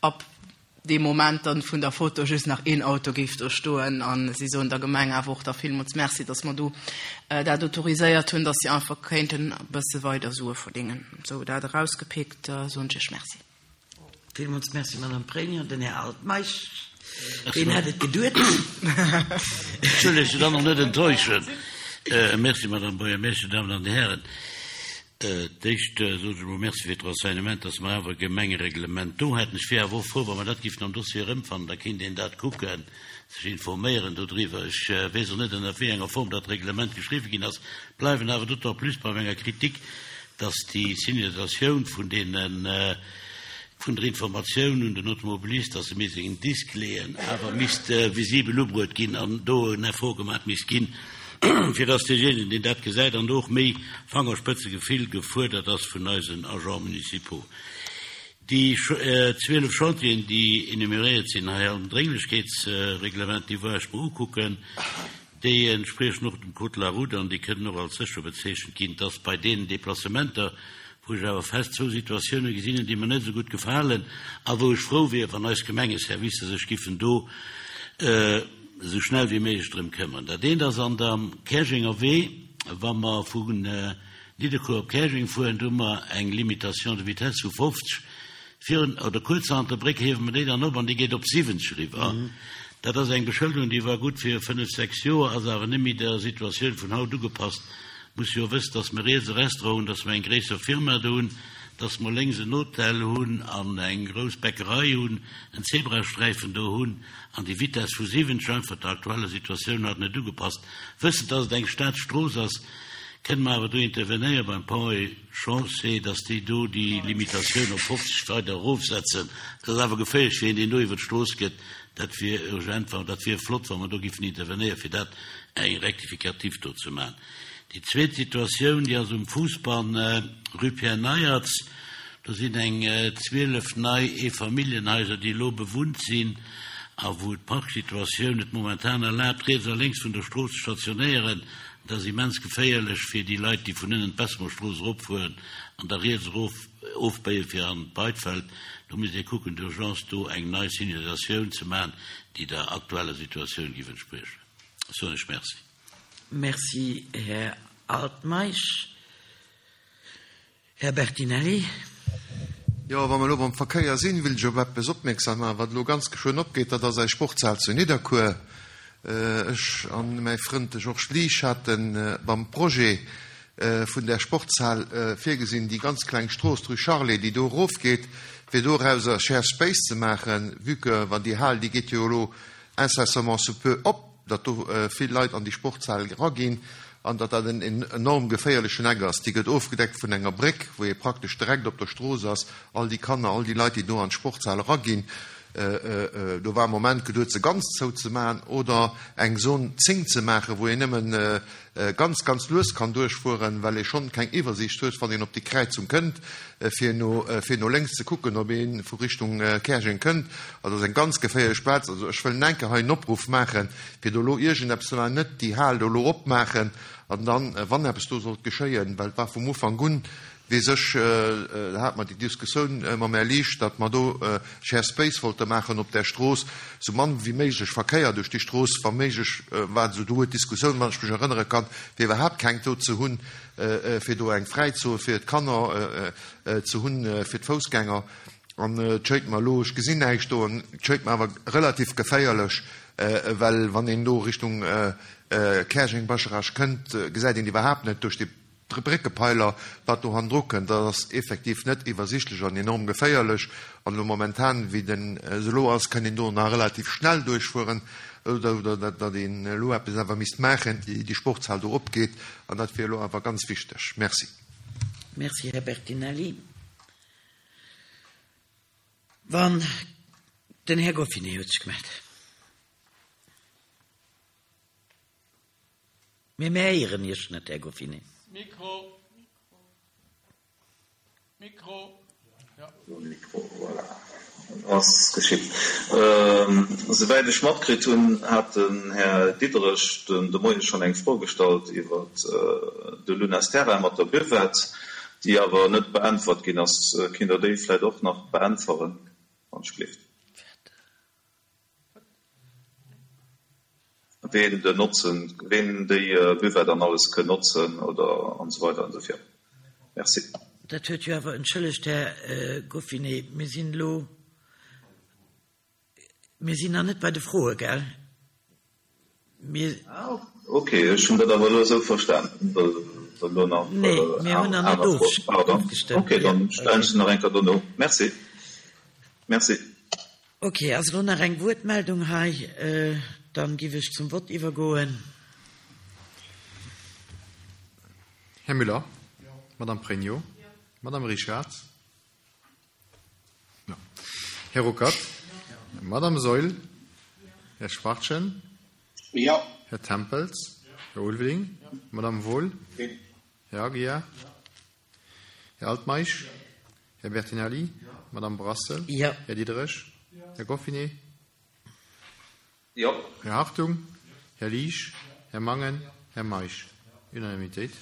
ab dee Moment dann vun der Foto just nach een Auto géif do stoen. A si soen der Gemeng awer och da villmools Merci, dass mer do dat autoriséiert hunn, dass si einfach kéinten e bësse weider Sue verdéngen. Sou, dat erausgepickt, soen ech Iech Merci. Villmools Merci, Madame Pregno. Den Här Altmeisch, deen hätt et geduet. Ech wëll Iech dann och net enttäuschen. Merci, Madame Buergermeeschter, Damen an Hären. D'éischt soen ech emol Merci fir d'Renseignement, dass mer awer e Gemengereglement do hätten. Ech wier awer och frou, wa mer dat géifen am Dossier erëmfannen, da kéint een dat kucken. sech informéieren dodriwwer. Ech weess och net, ënner wéi enger Form dat Reglement geschriwwen ginn ass, bleiwen awer d'autant plus bei menger Kritik, dass déi Signalisatioun vun deenen, vun der Informatioun un den Automobilist, dass e misst en Disk leeën, awer misst visibel ubruet ginn an do en Effort gemaach misst ginn, fir dass deejéinegen, deen dat gesäit, an do och méi Fangerspëtzegefill gefuerdert ass vun eisen Agents municipaux. Déi zwielef Chantieren, déi enumeréiert sinn hei am Drénglechkeetsreglement, déi war ech mer ukucken, déi entspriechen och dem Code de la route an déi kënnen och als sécher bezeechent ginn. Et ass bei deenen Deplacementer, wou ech awer fest zwou Situatiounen gesinn hunn, déi mer net esou gutt gefalen a wou ech frou wier, wann eis Gemengeservicer sech giffen do esou schnell wéi méiglech drëm këmmern. Dat eent ass an der Käerjenger Wee, wa mer vu Nidderkuer op Käerjeng fueren, do hu mer eng Limitation de vitesse vu fofzeg. Virun oder kuerz hannert der Bréck hiewe mer déi dann op an déi geet op siwwenzeg eriwwer. Dat ass eng Beschëlderung, déi war gutt fir fënnef, sechs Joer, ass awer net méi der Situatioun vun haut ugepasst. Muss jo wëssen, dass mer riets e Restaurant hunn, dass mer eng gréisser Firma do hunn, dass mer lénks en Hotel hunn an eng grouss Bäckerei hunn, en Zebrasträifen do hunn an déi Vitess vu siwwenzeg einfach der aktueller Situatioun haut net ugepasst. Wëssend, dass et eng Staatsstrooss ass, kënne mer awer do intervenéiere beim Ponts et Chaussées, dass déi do déi Limitatioun op fofzeg weider erofsetzen. Dat ass awer geféierlech fir een, deen do iwwer d'Strooss gëtt. Dat wier urgent, dat wier flott, wa mer do giffen intervenéieren, fir dat eng Rectificatif do ze maachen. Déi zweet Situatioun, déi ass um Fousbann, rue Pierre Neiertz. Do sinn eng zwielef nei Eefamilljenhaiser, déi elo bewunnt sinn a wou d'Parksituatioun et momentan erlaabt, riets a lénks vun der Strooss ze stationéieren. Dat ass immens geféierlech fir déi Leit, déi vun ënnen d'Bessemerstrooss eropfueren an da riets erof ofbéie fir an d'Beidfeld. Do misst ee kucken, d'urgence do eng nei Signalisatioun ze maachen, déi der aktueller Situatioun géif entspriechen. Soen ech Merci. Merci, Här Altmeisch. Här Bertinelli. Jo, wa mer elo beim Verkéier sinn, wëll ech op eppes opmierksam maachen, wat elo ganz geschwënn opgeet. Dat ass eis Sportshal zu Nidderkuer. Ech an mäi Frënd, de Georges Liesch, hate beim Projet vun där Sportshal virgesinn, déi ganz kleng Strooss, d'Rue Charlet, déi do erofgeet, fir dorauser Share Space ze maachen, vue que wann déi Hal, déi geet jo elo incessamment sous peu op, datt do vill Leit an déi Sportshal eraginn an datt dat en enorm geféierlechen Eck ass. Déi gëtt ofgedeckt vun enger Bréck, wou ee praktesch direkt op der Strooss ass. All déi Kanner, all déi Leit, déi do an d'Sportshal eraginn, do war am Moment geduet, se ganz zouzemaachen oder eng Zone zéng ze maachen, wou een nëmme ganz, ganz lues kann duerchfueren, well ee schonn keng Iwwersiicht huet, wann een op déi Kräizung kënnt, fir no, fir no lénks ze kucken, ob ee vu Richtung Käerjeng kënnt. Also dat ass eng ganz geféierlech Plaz. Also ech wëll enke hei en Opruff maachen, fir do elo iergendeppes ze maachen, net déi Hal do elo opmaachen an dann, wann eppes do sollt geschéien, well et war vum Ufank un, Weess ech, da hate mer déi Diskussioun mam Här Liesch, datt mer do Share Space wollte maachen op där Strooss, sou mann wéi méiglech Verkéier duerch déi Strooss, wa méiglech war esou do d'Diskussioun, wann ech mech erënnere kann, fir iwwerhaapt keng do ze hunn, fir do eng Fräizon fir d'Kanner ze hunn, fir d'Foussgänger. An et schéngt mer elo, ech gesinn näischt do, an et schéngt mer awer relativ geféierlech, well wann een do Richtung Käerjeng-Bascharage kënnt, gesäit een iwwerhaapt net duerch déi Bréckepeiler, wat do hannendru kënnt, dat ass effektiv net iwwersichtlech an enorm geféierlech. An elo momentan, wéi den se elo ass, kann een do nach relativ schnell duerchfueren, oder datt een elo eppes awer misst maachen, ier déi Sportshal do opgeet. An dat wier elo awer ganz wichteg. Merci. Merci, Här Bertinelli. Wann den Här Goffinet huet sech gemellt. Mee mir héieren Iech net, Här Goffinet. Mikro. Mikro. Ja. Mikro, voilà. Ass geschitt. Souwäit ech matkritt hunn, hat den Här Diderich den de Moie schonn eng Fro gestallt iwwer de Lunas Terrain mat der Buvette, déi awer net beäntwert ginn ass. Kinnt Der déi vläicht och nach beäntweren, wann ech gleeft? Ween den notzen, ween déi Buvette an alles kënn notzen oder an esou weider an esou virun. Merci. Dat huet jo awer, entschëllegt, Här Goffinet, mir sinn elo, mir sinn nach net bei de Froe, gell? Mir. Ah, okay, ech hunn dat awer elo esou verstan, datt elo nach Nee, mir hunn nach net aner Froen. Pardon. ofgestëmmt. Okay, dann stellen ech se nach eng Kéier dono. Merci. Merci. Okay, ass elo nach eng Wuertmeldung hei? Dann giff ech zum Vott iwwergoen. Här Müller? Madame Pregno? Madame Richard? Ja. Här Ruckert? Madame Seul? Här Schwartchen? Ja. Här Tempels? Här Ulveling? Madame Wohl? Här Aguiar? Här Altmeisch? Här Bertinelli? Madame Brassel? Ja. Här Diderich? Här Goffinet? Ja. Här Hartung? Här Liesch? Här Mangen? Här Meisch? Unanimitéit.